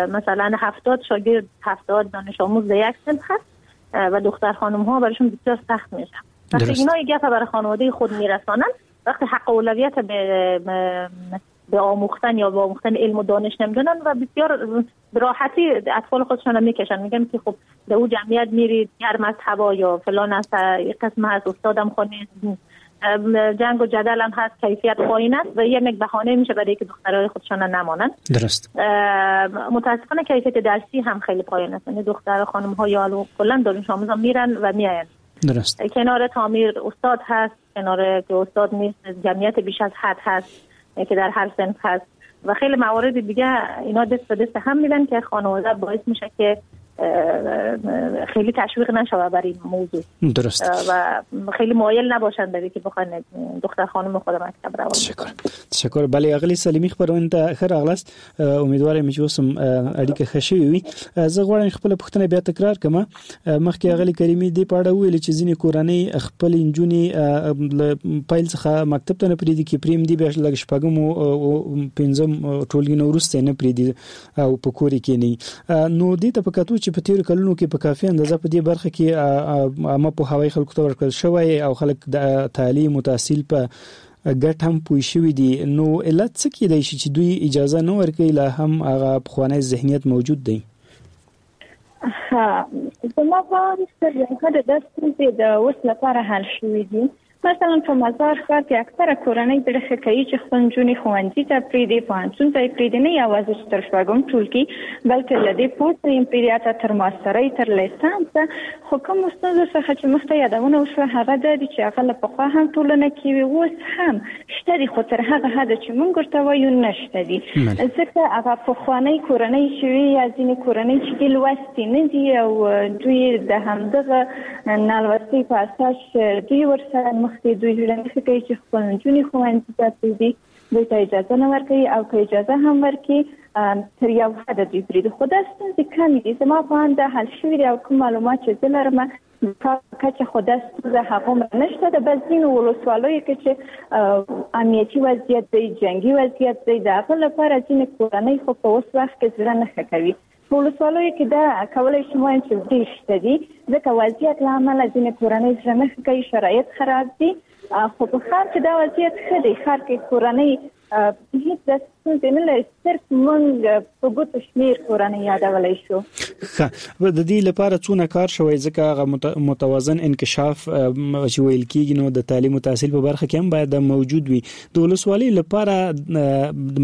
مثلا هفتاد شاگرد، هفتاد دانش آموز در یک صنف هست و دختر خانم ها براشون بسیار سخت میشه. وقتی اینا یک گپ برای خانواده خود میرسانن، وقتی حق اولویت به به آموختن یا به آموختن علم و دانش نمیدونن و بسیار به راحتی اطفال خودشون رو میکشن، میگن که خب در او جمعیت میرید گرم از هوا یا فلان است، یک قسم هست، استادم خونه جنگ و جدل هم هست، کیفیت پایین است و یک بهانه میشه برای که دخترای خودشون نمانن. درست. متاسفانه کیفیت درسی هم خیلی پایین است، یعنی دختر خانم ها یا کلا دانش آموزا میرن و میاین. درست. کنار تعمیر استاد هست، کنار که استاد نیست جمعیت بیش از حد هست که در هر صنف هست و خیلی موارد دیگه. اینا دست به دست هم میدن که خانواده باعث میشه که خیلی تشویق نشوه برای این موضوع. درست. و خیلی مایل نباشند برای که بخوان دختر خانم خود مکتب روان. تشکر. تشکر. بله اغلی سلیمی خبرونه ته ښه راغلاست. امیدوار یم چې اوس هم اړیکه ښه شوې وي. زه غواړم خپله پوښتنه بیا تکرار کړم. مخکې اغلی کریمي دې په اړه وویل چې ځینې کورنۍ خپل نجونې له پیل څخه مکتب ته نه پرېږدي، کې پرېم دي بیا لږ شپږم او پنځم ټولګي نه وروسته نه پرېږدي او په کور کې نه. نو دې ته په کتو چې په تیرو کلونو کې په کافي اندازه په دې برخه کې عامه پوهاوی خلکو ته ورکړل شوی او خلک د تعلیم او تحصیل په ګټه هم پوه شوي دي، نو علت څه کېدای شي چې دوی اجازه نه ورکوي، لا هم هغه پخوانی ذهنیت موجود دی؟ ها، زما په اند تر یو حده دا ستونزې د اوس لپاره حل شوې دي. مثلا په مزار ښار کې اکثره کورنۍ زړه ښه کوي چې خپل نجونې ښوونځي ته پرېږدي، پوهنتون ته یې پرېږدي، نه یوازې چې تر شپږم ټولګي بلکې له دې پورته یې پرېږدي، حتی تر ماسترۍ تر لیسانسه. خو کومو ستونزو څخه چې مخته یادونه وشوه هغه دا دي چې هغه له پخوا هم ټولنه کې وي، اوس هم شته دي، خو تر هغه حده چې موږ ورته وایو نشته دي. ځکه هغه پخوانۍ کورنۍ چې وي یا ځینې کورنۍ چې دي لوستې نه دي او دوی د همدغه نالوستۍ په اساس دوی ورسره مخکې دوی زړه نه ښه کوي چې خپل نجونې ښوونځي ته پرېږدي، دوی ته اجازه نه ورکوي او که اجازه هم ورکړي تر یو حده دوی پرېږدي. خو دا ستونزې کمې دي، زما په اند حل شوي دي او کوم معلومات چې زه لرم کچه خو دا ستونزه هغومره نشته ده. بس ځینو ولسوالیو کې چې امنیتي وضعیت دی، جنګي وضعیت دی، د هغه لپاره ځینې کورنۍ خو په اوس وخت کې زړه نه ښه کوي. په ولسوالیو کې دا کولی شم ووایم چې ډېر شته دي، ځکه وضعیت له امله ځینې کورنۍ زړه نه ښه کوي، شرایط خراب دي. خو په ښار کې دا وضعیت ښه دی، ښار کې کورنۍ هیڅ داسې ستونزې نه لري، صرف موږ په ګوتو شمېر کورنۍ یادولی شو. ښه، د دې لپاره څونه کار شوی؟ ځکه هغه متوازن انکشاف چې ویل کېږي نو د تعلیم او تحصیل په برخه کې هم باید موجود وي. د ولسوالۍ لپاره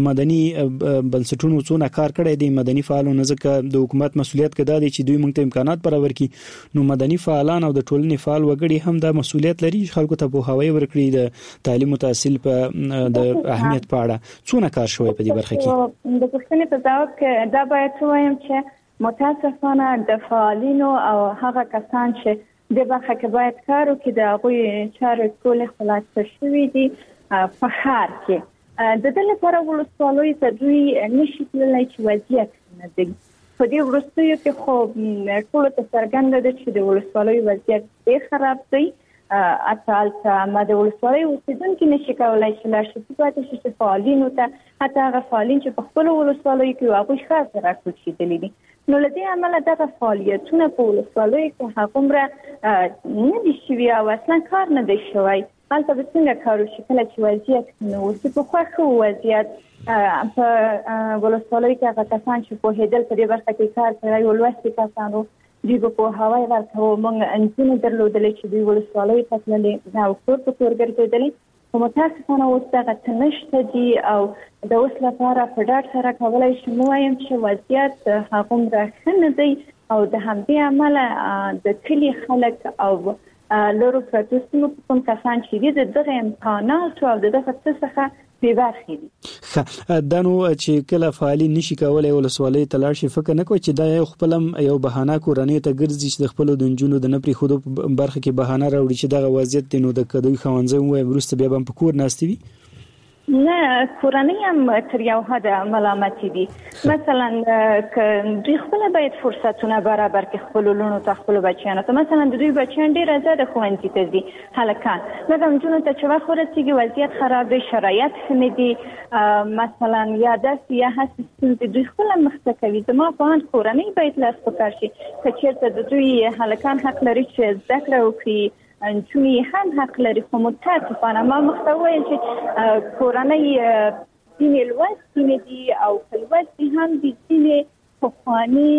مدني بنسټونو څونه کار کړی دی، مدني فعالانو؟ ځکه د حکومت مسولیت که دا دی چې دوی موږ ته امکانات برابر کړي، نو مدني فعالان او د ټولنې فعال وګړي هم دا مسولیت لري چې خلکو ته پوهاوی ورکړي د تعلیم او تحصیل په د اهمیت په اړه. څونه کار شوی په دې برخه کې؟ د پوښتنې په ځواب کې دا باید ووایم چې متاسفانه د فعالینو او هغه کسان چې د برخه کې باید کار وکړي د هغوی چارې ټولې خلاصه شوې دي په ښار کې. د دې لپاره ولسوالیو ته دوی نشي تللی چې وضعیت نه دی. په دې وروستیو کې خو ټولو ته څرګنده ده چې د ولسوالیو وضعیت ډېر خراب دی. حتی هلته ما د ولسوالۍ اوسېدونکي نشي کولی چې لاړ شي، پاتې شي چې فعالینو ته، حتی هغه فعالین چې په خپلو ولسوالیو کې وو هغوی ښار ته راکوچېدلي دي. نو له دې امله دغه فعالیتونه په ولسوالیو کې هغومره نه دي شوي او اصلا کار نه دی شوی. هلته به څنګه کار وشي کله چې وضعیت نه اوسي؟ پخوا ښه و وضعیت په ولسوالیو کې، هغه کسان چې پوهېدل په دې برخه کې کار کړی و، لوستي کسان وو، دوی به پوهاوی ورکاوه. موږ نجونې درلودلې چې دوی ولسوالیو ته تللې او کور په کور ګرځېدلې، خو متاسفانه اوس دغه څه نشته دي. او د اوس لپاره په ډاډ سره کولی شم ووایم چې وضعیت هغومره ښه نه دی او د همدې امله د کلي خلک او لرو پرتو سیمو کوم کسان چې دي د دغه امکاناتو او د دغه څه څخه بې برخې دي. ښه، دا نو چې کله فعالین نشي کولای ولسوالۍ ته لاړ شي، فکر نه کوئ چې دا یو خپل یو بهانه کورنۍ ته ګرځي چې د خپلو د نجونو د نه پرېښودو په برخه کې بهانه راوړي چې دغه وضعیت دی، نو د که دوی ښوونځی ووایي وروسته بیا به هم په کور ناستې وي؟ نه، کورنۍ هم تر یو حده ملامتې دي. مثلا که دوی خپله باید فرصتونه برابر کړي خپلو لوڼو ته، خپلو بچیانو ته. مثلا د دوی بچیان ډېر ازاده ښوونځي ته ځي هلکان، مګر نجونو ته چې وخت ورسېږي وضعیت خراب دی، شرایط ښه نه دي، مثلا یا داسې یا هسې ستونزې دوی خپله مخته کوي. زما په اند کورنۍ باید لاس په کار شي. که چېرته د دوی هلکان حق لري چې زده کړه وکړي، نجونې هم حق لري. خو متاسفانه ما مخته وویل چې کورنۍ ځینې لوستې نه دي او که لوستې هم دي ځینې پخواني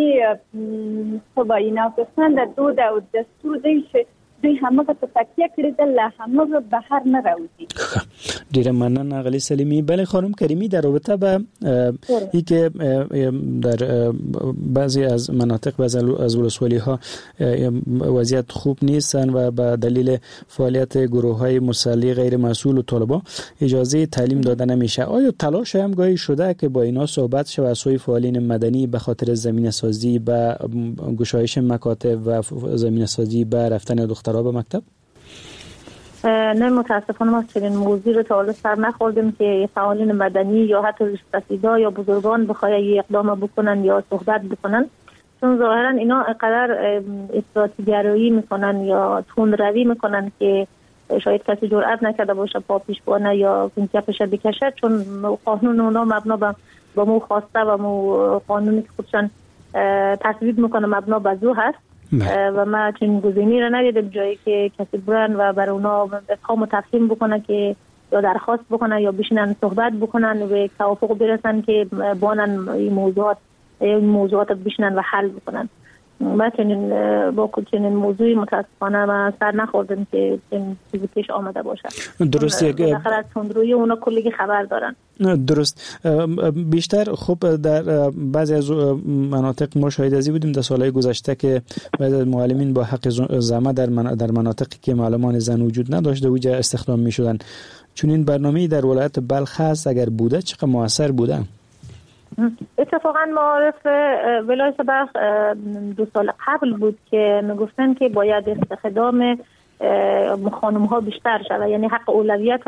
څه وایي ناپسنده دود او دستور دی چې دوی همغه ته تکیه کړې ده، له همغه بهر نه راوځي. ډیره مننه غلی سلیمی. بله خانم کریمی، در رابطه به ای که در بعضی از مناطق، بعضی از ولسوالی ها وضعیت خوب نیستن و به دلیل فعالیت گروه های مسلح غیر مسئول و طالبان اجازه تعلیم داده نمیشه، آیا تلاش هم گاهی شده که با اینا صحبت شه و از سوی فعالین مدنی به خاطر زمینه سازی به گشایش مکاتب و زمینه سازی به رفتن دخترها به مکتب؟ نه متاسفانه ما چنین موضوع رو تا حالا سر نخوردیم که فعالین مدنی یا حتی ریش‌سفیدا یا بزرگان بخوای یه اقدام بکنن یا صحبت بکنن، چون ظاهرا اینا اینقدر افراطی‌گرایی میکنن یا تندروی میکنن که شاید کسی جرئت نکرده باشه پا پیش بانه یا کپش بکشه، چون قانون اونا مبنا با مو خواسته و مو قانونی که خودشان تصویب میکنه مبنا بر زو هست. و ما چنین گزینه‌ای را ندیدم جایی که کسی برن و بر اونا افهام و تفهیم بکنه که یا درخواست بکنه یا بشینن صحبت بکنن و توافق برسن که بانن این موضوعات این موضوعات بشینن و حل بکنن. ما چنین با چنین موضوعی متاسفانه ما سر نخوردیم که چنین چیزی پیش آمده باشه. درست، بالاخره از تندروی اونا کلی خبر دارن. درست. بیشتر خب در بعضی از مناطق ما شاهد ازی بودیم در سالهای گذشته که بعضی از معلمین با حق زمه در در مناطقی که معلمان زن وجود نداشت اوجا استخدام می شدن. چون این برنامه در ولایت بلخ هست، اگر بوده چقدر موثر بوده؟ اتفاقا معارف ولایت بلخ دو سال قبل بود که میگفتن که باید استخدام خانم ها بیشتر شود، یعنی حق اولویت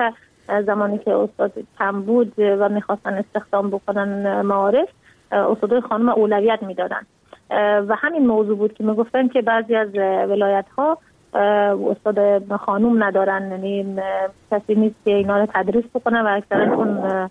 زمانی که استاد کم بود و میخواستن استخدام بکنن معارف، استادای خانم اولویت میدادن و همین موضوع بود که میگفتن که بعضی از ولایت ها استاد خانم ندارن، یعنی کسی نیست که اینا رو تدریس بکنه و اکثرا چون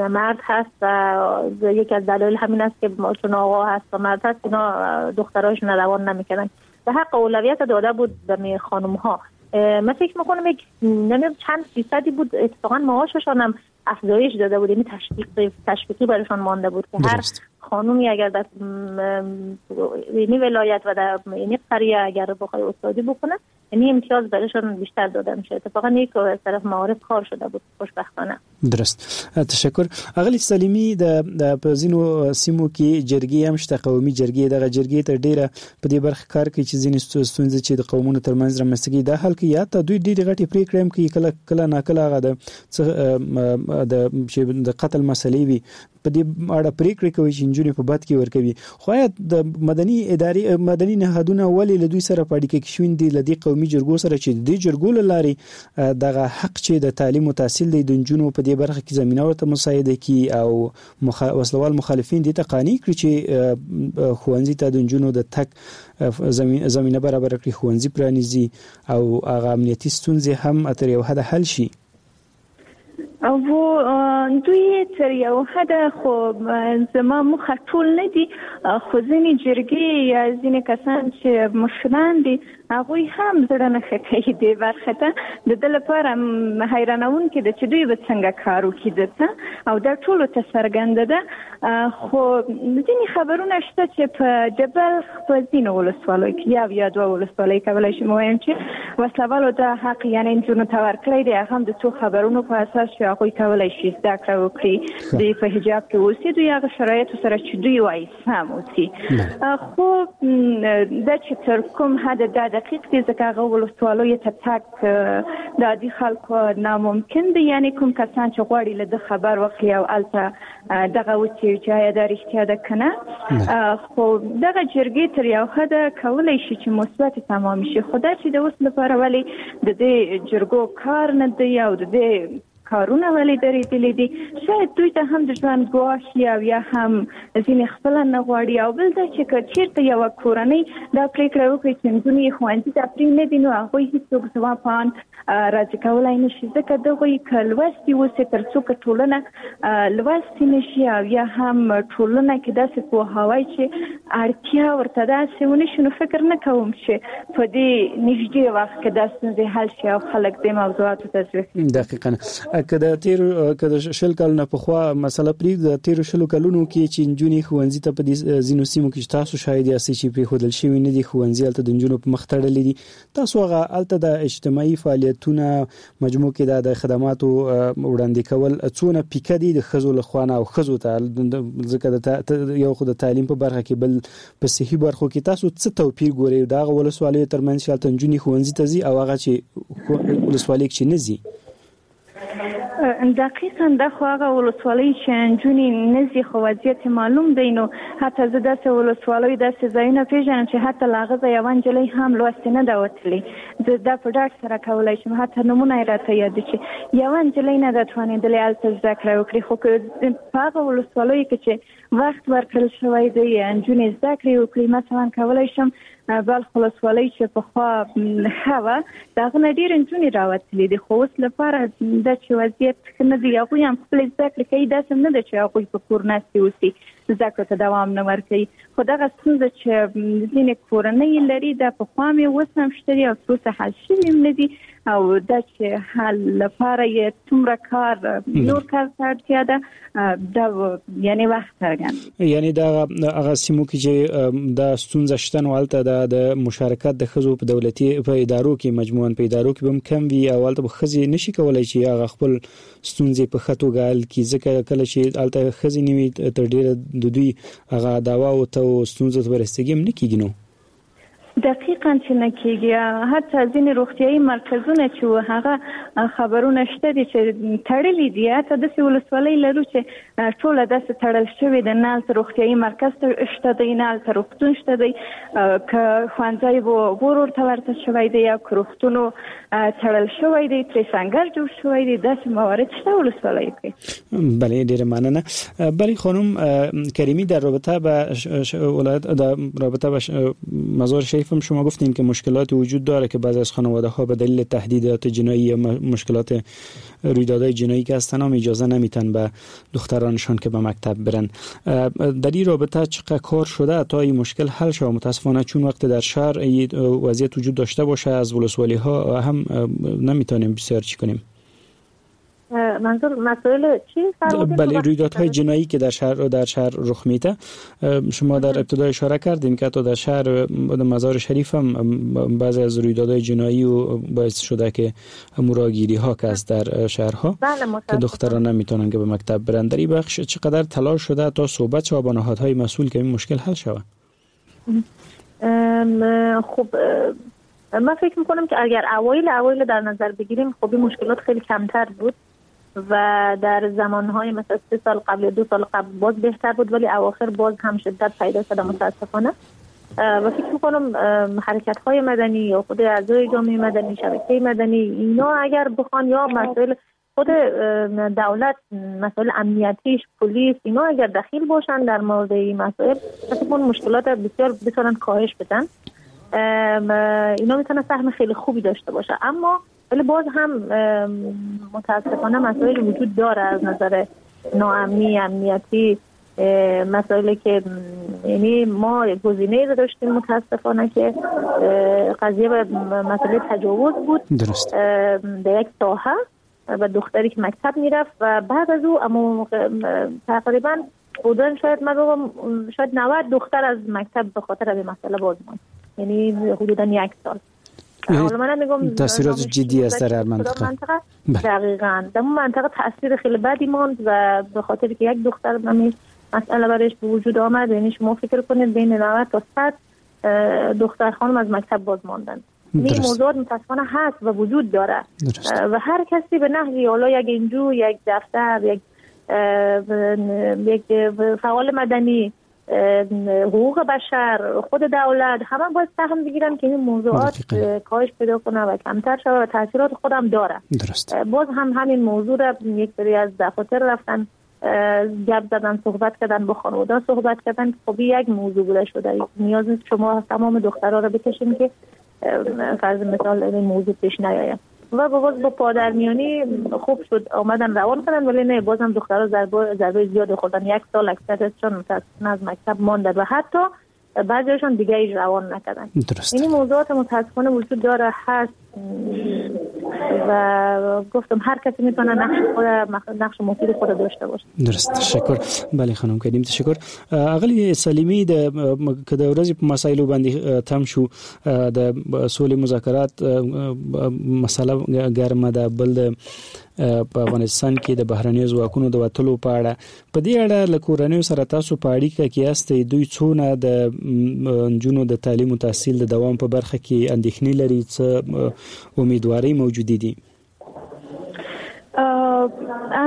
مرد هست و یکی از دلایل همین است که چون آقا هست و مرد هست اینا دخترایشون روان نمیکنن و حق اولویت داده بود به خانم ها. من فکر میکنم یک نمیدونم چند فیصدی بود اتفاقا معاششان هم افزایش داده بود، یعنی تشویق تشویقی برایشان مانده بود که هر خانومی اگر در یعنی ولایت و در یعنی قریه اگر بخوای استادی بکنه یعنی امتیاز برایشان بیشتر داده میشه. اتفاقا یک از طرف معارف کار شده بود خوشبختانه. درست، تشکر. اغلی سلیمی، د په ځینو سیمو کې جرګې هم شته، قومي جرګې، دغه جرګې تر ډیره په دې برخه کار کوي چې ځینې ستونزې چې د قومونو ترمنځ رامنځته کېږي دا حل کړي، یا ته دوی ډېرې غټې پرېکړې هم کوي، کله کله ناکله هغه د د چې د قتل مسلې وي په دې اړه پرېکړې کوي چې نجونې په بد کې ورکوي. خو آیا د مدني ادارې مدني نهادونه ولې له دوی سره په اړیکه کې شوي دي، له دې قومي جرګو سره چې د دې جرګو له لارې دغه حق چې د تعلیم او تحصیل دی د نجونو په دې برخه کې زمینه ورته مساعده کړي او مخ... وسلوال مخالفین دې ته قانع کړي چې ښوونځي ته د نجونو د تګ زمینه برابره کړي، ښوونځي پرانیزي او هغه امنیتي ستونزې هم تر یو حده حل شي؟ او دوی تر یو حده خو زما موخه ټول نه دي، خو ځینې جرګې یا ځینې کسان چې مشران دي هغوی هم زړه نه ښه کوي دې برخې ته. د ده لپاره حیرانوونکې ده چې دوی به څنګه کار وکړي دلته، او دا ټولو ته څرګنده ده. خو ځینې خبرونه شته چې په د بلخ په ځینو ولسوالیو کې یو یا دوه ولسوالۍ کولی شم ووایم چې وسلهوالو دا حق یعنې نجونو ته ورکړی دی، هغه هم د څو خبرونو په اساس چې هغوی کولی شي زده کړه وکړي، دوی په حجاب کې اوسي، دوی هغه شرایطو سره چې دوی وایي سم اوسي. خو دا چې تر کوم حده دا دقیق دی، ځکه هغه ولسوالیو ته تګ د عادي خلکو ناممکن دی، یعنې کوم کسان چې غواړي له ده خبر واخلي او هلته دغه وڅېړي چې آیا دا رښتیا ده که نه. خو دغه جرګې تر یو حده کولی شي چې مثبتې تمامې شي، خو دا چې د اوس لپاره ولې د دې جرګو کار نه دی او د دې کارونه ولې درېدلي دي، شاید دوی ته هم د ژوند ګواښ او یا هم ځینې خپله نه غواړي. او بل دا چې که چېرته یوه کورنۍ دا پرېکړه وکړي چې نجونې یې ښوونځي ته پرې نه دي، نو هغوی هېڅوک زما په اند راضي کولی نه شي، ځکه دغوی که لوستي اوسي تر څو که ټولنه لوستي نه شي او یا هم ټولنه کې داسې پوهاوی چې اړتیا ورته داسې ونه شي، نو فکر نه کوم چې په دې نږدې وخت کې دا ستونزې حل شي او خلک دې موضوعاتو ته ځي. دقیقاً. که د تیرو که د شل کلونو پخوا مسله پرېږدو، د تیرو شلو کلونو کې چې نجونې ښوونځي ته په دې ځینو سیمو کې چې تاسو شاهد یاستئ چې پرېښودل شوي نه دي، ښوونځي هلته د نجونو په مخ تړلي دي، تاسو هغه هلته د اجتماعي فعالیتونه مجموع کې د خدماتو وړاندې کول څونه پیکه دي د ښځو له خوا نه او ښځو ته، ځکه د یو خو د تعلیم په برخه کې بل په صحي برخو کې تاسو څه توپیر ګورئ د هغه ولسوالیو ترمنځ چې هلته نجونې ښوونځي ته ځي او هغه چې ولسوالۍ کې نه ځي؟ دقیقا دا خو هغه ولسوالۍ چې نجونې نه ځي خو وضعیت معلوم دی. نو حتی زه داسې ولسوالۍ داسې ځایونه پېژنم چې حتی له هغه ځایه یوه نجلۍ هم لوستې نه ده وتلې. زه دا په ډاډ سره کولی شم، حتی نومونه یې راته یاد دي چې یوه نجلۍ نه ده توانېدلې هلته زده کړه وکړي. خو که په هغه ولسوالیو کې چې وخت ورکړل شوی دی نجونې زده کړې وکړي، مثلا کولی شم بلخ ولسوالۍ چې پخوا ښه وه د هغه نه ډېرې نجونې راوتلې دي، خو اوس لپاره دا چې وضعیت ښه نه دی، هغوی هم خپلې زده کړې کوي، داسې هم نه ده چې هغوی په کور ناستې اوسي، زده کړو ته دوام نه ورکوي. خو دغه ستونزه چې ځینې کورنۍ لري دا پخوا مې اوس هم شته دي او تر اوسه حل شوي هم نه دي، او دا چې حل لپاره یې څومره کار نور کار ته اړتیا ده دا یعنی وخت څرګند. یعنی دا هغه سیمو کې چې دا ستونزه شته نو هلته دا د مشارکت د ښځو په دولتي په ادارو کې مجموعاً په ادارو کې به هم کم وي او هلته به ښځې نشي کولی چې هغه خپل ستونزې په ښه توګه حل کړي، ځکه کله چې هلته ښځې نه وي تر ډېره د دوی هغه دعواو ته او ستونزو ته رسیدګي هم نه کېږي. نو دقیقا چې نه کېږي. حتی ځینې روغتیایي مرکزونه چې هغه خبرونه شته دي چې تړلي دي، حتی داسې ولسوالۍ لرو چې ټوله داسې تړل شوې ده، نه هلته روغتیایي مرکز شته دی، نه هلته روغتون شته دی، که ښوونځی ور ورته ورته شوی دی یا که روغتونو تړل شوی دی، ترې سنګر جوړ شوی دی، داسې موارد شته ولسوالیو کې. بله ډیره مننه. بله خانم کریمی، در رابطه به ولایت در رابطه به مزار شریف هم شما گفتین که مشکلات وجود داره که بعضی از خانواده ها به دلیل تهدیدات جنایی یا مشکلات رویدادهای جنایی که هستن هم اجازه نمیتن به دخترانشان که به مکتب برن. در این رابطه چقدر کار شده تا این مشکل حل شود؟ متاسفانه چون وقت در شهر وضعیت وجود داشته باشه از ولسوالی ها هم نمیتونیم بسیار چی کنیم. منظور مسائل چی؟ بله، رویدادهای جنایی که در شهر در شهر رخ میده. شما در ابتدا اشاره کردین که حتی در شهر مزار شریف هم بعضی از رویدادهای جنایی و باعث شده که مراگیری ها که از در شهرها بله که دختران نمیتونن که به مکتب برن. در این بخش چقدر تلاش شده تا صحبت شود با نهادهای مسئول که این مشکل حل شود؟ خب من فکر میکنم که اگر اوایل اوایل در نظر بگیریم خب این مشکلات خیلی کمتر بود و در زمانهای مثلا سه سال قبل دو سال قبل باز بهتر بود، ولی اواخر باز هم شدت پیدا شده متاسفانه. و فکر میکنم حرکت‌های مدنی یا خود اعضای جامعه مدنی، شبکه مدنی، اینا اگر بخوان یا مسائل خود دولت، مسائل امنیتیش، پلیس، اینا اگر دخیل باشن در مورد این مسائل، فکر میکنم مشکلات بسیار بتونن کاهش بدن. اینا میتونن سهم خیلی خوبی داشته باشه، اما ولی باز هم متاسفانه مسائل وجود داره از نظر ناامنی، امنیتی، مسائلی که یعنی ما گزینه‌ای رو داشتیم متاسفانه که قضیه به مسئله تجاوز بود. درست. در یک ساحه و دختری که مکتب میرفت و بعد از او اما تقریبا بودن شاید من بگم شاید نود دختر از مکتب به خاطر این مسئله باز ماند، یعنی حدوداً یک سال. حالا من میگم تاثیرات جدی است در هر منطقه. منطقه دقیقاً در اون منطقه تاثیر خیلی بدی ماند و به خاطر که یک دختر همین مسئله برایش به وجود آمد، یعنی شما فکر کنید بین نود تا صد دختر خانم از مکتب باز ماندن. این موضوع متاسفانه هست و وجود داره. درست. و هر کسی به نحوی، حالا یک انجو، یک دفتر، یک یک فعال مدنی، حقوق بشر، خود دولت، همه باید سهم بگیرن که این موضوعات کاهش پیدا کنه و کمتر شود و تاثیرات خودم داره. درست. باز هم همین موضوع را یک سری از دفاتر رفتن گپ زدن، صحبت کردن، با خانواده صحبت کردن. خب یک موضوع بوده شده، نیاز نیست شما تمام دخترها رو بکشین که فرض مثال این موضوع پیش نیاید. و باز با پادرمیانی خوب شد آمدن روان کردن، ولی نه، بازم دخترها ضربه ضربه زیاد خوردن. یک سال اکثرشون متاسفانه از مکتب ماندن و حتی بعضیشون دیگه ایش روان نکردن. درست. این موضوعات متاسفانه وجود داره، هست. و گفتم هر کسی میتونه نقش خود، نقش مفید خود داشته باشه. درست، تشکر. بله خانم کریم، تشکر. اغلی سلیمی، د که د ورځې په مسایلو باندې تم شو، د سولې مذاکرات مسله ګرمه ده، بل د په افغانستان کې د بهرنیو ځواکونو د وتلو په اړه، په دې اړه له کورنیو سره تاسو په اړیکه کې یاستئ، دوی څونه د نجونو د تعلیم او تحصیل د دوام په برخه کې اندېښنې لري، څه امیدوارۍ موجودې دي؟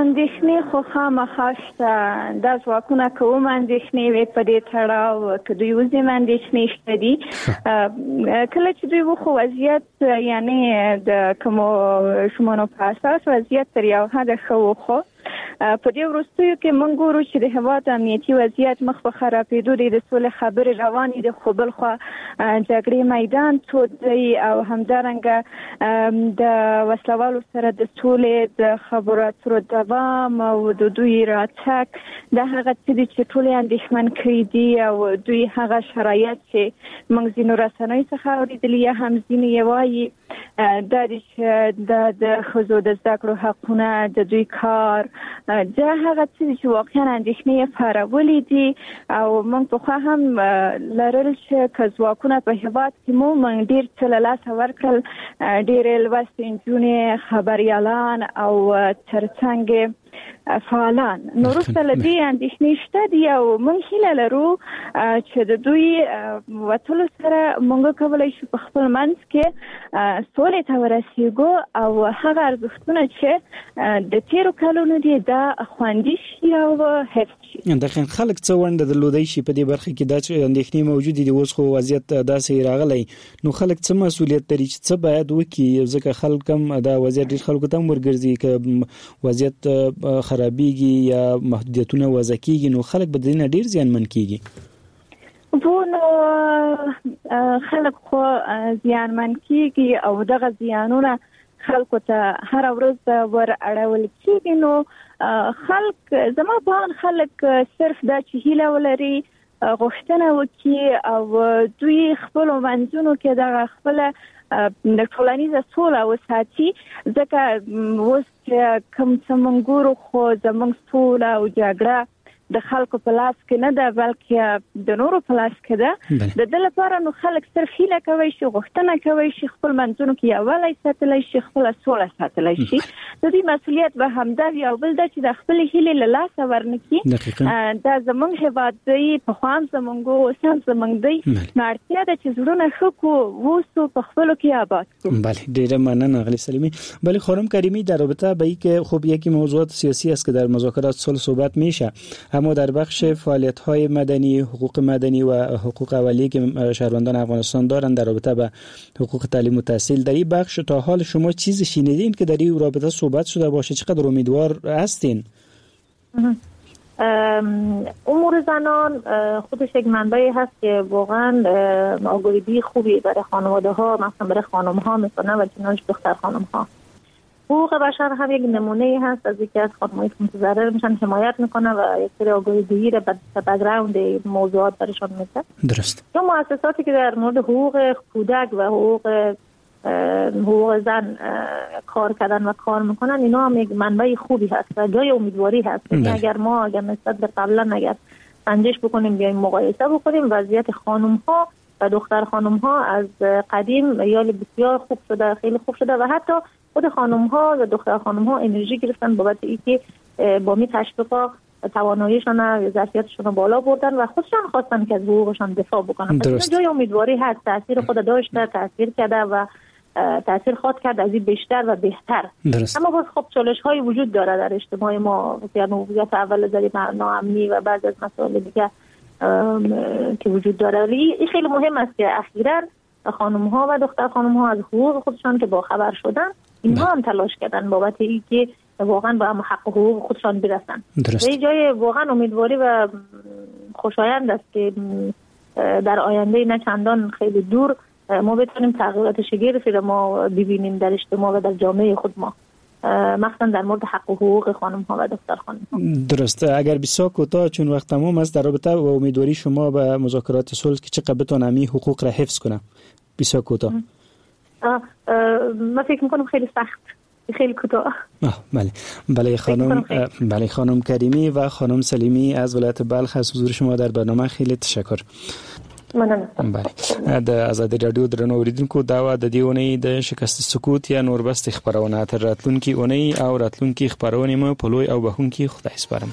اندېښنې خو خامخا شته. دا ځواکونه کوم اندېښنې وې په دې تړاو، که دوی وځي اندېښنې شته دي. کله چې دوی وخو وضعیت، یعنی د کومو ژمنو په اساس وضعیت تر یو حده ښه و، خو په دې وروستیو کې موږ ګورو چې د هېواد امنیتي وضعیت مخ په خرابېدو دی، د سولې خبرې روانې دي، خو بلخوا جګړې میدان تود دی او همدارنګه د وسلوالو سره د سولې د خبرو اترو دوام او د دوی راتګ، دا هغه څه دي چې ټول یې اندېښمن کړي دي. او دوی هغه شرایط چې موږ ځینو رسنیو څخه اورېدلي یا هم ځینې یې وایي، دا دي چې د ښځو د زده کړو حقونه، د دوی کار، دا هغه څه دي چې واقعا اندېښنې یې پارولې دي. او موږ پخوا هم لرل چې که ځواکونه په هېواد کې مو موږ ډېر څه له لاسه ورکړل، ډېرې لوستې نجونې، خبریالان او ترڅنګ فعالان. نو وروسته له دې اندېښنې شته دي او موږ هیله لرو چې د دوی وتلو سره موږ کولی شو په خپل منځ کې سولې ته ورسېږو او هغه ارزښتونه چې د تېرو کلونو دي دا خوندي شي او حفظ شي. دقیقاً خلک څه ونډه درلودای شي په دې برخه کې؟ دا چې اندېښنې موجودې دي، اوس خو وضعیت داسې راغلی، نو خلک څه مسولیت لري چې څه باید وکړي؟ ځکه خلک هم دا وضعیت ډېر خلکو ته هم ورګرځي، که وضعیت خرابېږي یا محدودیتونه وضع کیږي نو خلک به دې نه ډېر زیانمن کیږي. وو نو خلک خو زیانمن کیږي او دغه زیانونه خلکو ته هره ورځ ور اړول کیږي. نو خلک، زما په اند خلک صرف دا چې هیله ولري، غوښتنه وکړي او دوی خپلو منځونو کې دغه خپله د ټولنیزه سوله وساتي. ځکه اوس چې کوم څه موږ ګورو خو زموږ سوله او جګړه د خلکو په لاس کې نه ده، بلکې د نورو په لاس کې ده. د دې لپاره نو خلک صرف هیله کوي شي، غوښتنه کوي شي، خپل منځونو کې یووالی ساتلی شي، خپله سوله ساتلی شي. د دې مسولیت به همدا وي. او بل دا چې د خپلې هیلې له لاسه ورنکړي. دا زموږ هېواد دی، پخوا هم زموږ و، اوس هم زموږ دی. نو اړتیا ده چې زړونه ښه کړو، اوسو، په خپلو کې آباد کړو. بله، ډېره مننه اغلی سلیمی. بله خانم کریمی، در رابطه با اینکه خب یکی موضوعات سیاسی است که در مذاکرات صلح صحبت میشه، اما در بخش فعالیت‌های مدنی، حقوق مدنی و حقوق اولیه که شهروندان افغانستان دارند در رابطه به حقوق تعلیم و تحصیل، در این بخش تا حال شما چیزی شنیدین که در این رابطه صحبت شده باشه؟ چقدر امیدوار هستین؟ امور زنان خودش یک منبعی هست که واقعا آگاهی خوبی برای خانواده ها، مثلا برای خانم ها میکنه و کنارش دختر خانم ها. حقوق بشر هم یک نمونه هست از یکی از خانم‌هایی که متضرر میشن حمایت میکنه و یک سری آگاهی دهی را به بک‌گراند موضوعات برشان میده. درست. یا مؤسساتی که در مورد حقوق کودک و حقوق حقوق زن کار کردن و کار میکنن، اینا هم یک منبع خوبی هست و جای امیدواری هست. یعنی اگر ما اگر نسبت به قبلا اگر سنجش بکنیم، بیایم مقایسه بکنیم، وضعیت خانم ها و دختر خانم ها از قدیم یال بسیار خوب شده، خیلی خوب شده و حتی خود خانم ها و دختر خانم ها انرژی گرفتن بابت اینکه با می تشویقا تواناییشان و ظرفیتشون رو بالا بردن و خودشان خواستن که از حقوقشان دفاع بکنن. پس جای امیدواری هست، تاثیر خود داشته، تاثیر کرده و تاثیر خواهد کرد از این بیشتر و بهتر. درست. اما باز خب چالش های وجود داره در اجتماع ما، یعنی وضعیت اول زری ناامنی و بعض از مسائل دیگه که وجود داره. ولی این خیلی مهم است که اخیراً خانم ها و دختر خانم ها از حقوق خودشان که باخبر شدن، اینها هم تلاش کردن بابت اینکه واقعا به حق و حقوق خودشان برسن. درست. این جای واقعا امیدواری و خوشایند است که در آینده نه چندان خیلی دور ما بتونیم تغییرات شگرفی را ما ببینیم در اجتماع و در جامعه خود ما، مخصوصا در مورد حق و حقوق خانم ها و دختر خانم ها. درست. اگر بسیار کوتاه چون وقت تمام است، در رابطه با امیدواری شما به مذاکرات صلح که چقدر بتونه می حقوق را حفظ کنه، بسیار کوتاه. من فکر میکنم خیلی سخت، خیلی کوتاه. بله بله خانم، بله خانم کریمی و خانم سلیمی از ولایت بلخ، از حضور شما در برنامه خیلی تشکر. مننه. بله، د ازادي رادیو درنو اوریدونکو، دا وه د دې اونۍ د شکست سکوت یا نوربست خپرونه. تر راتلونکي اونۍ او راتلونکي خپرونې مو په لوی او بخښونکي خدای سپارم.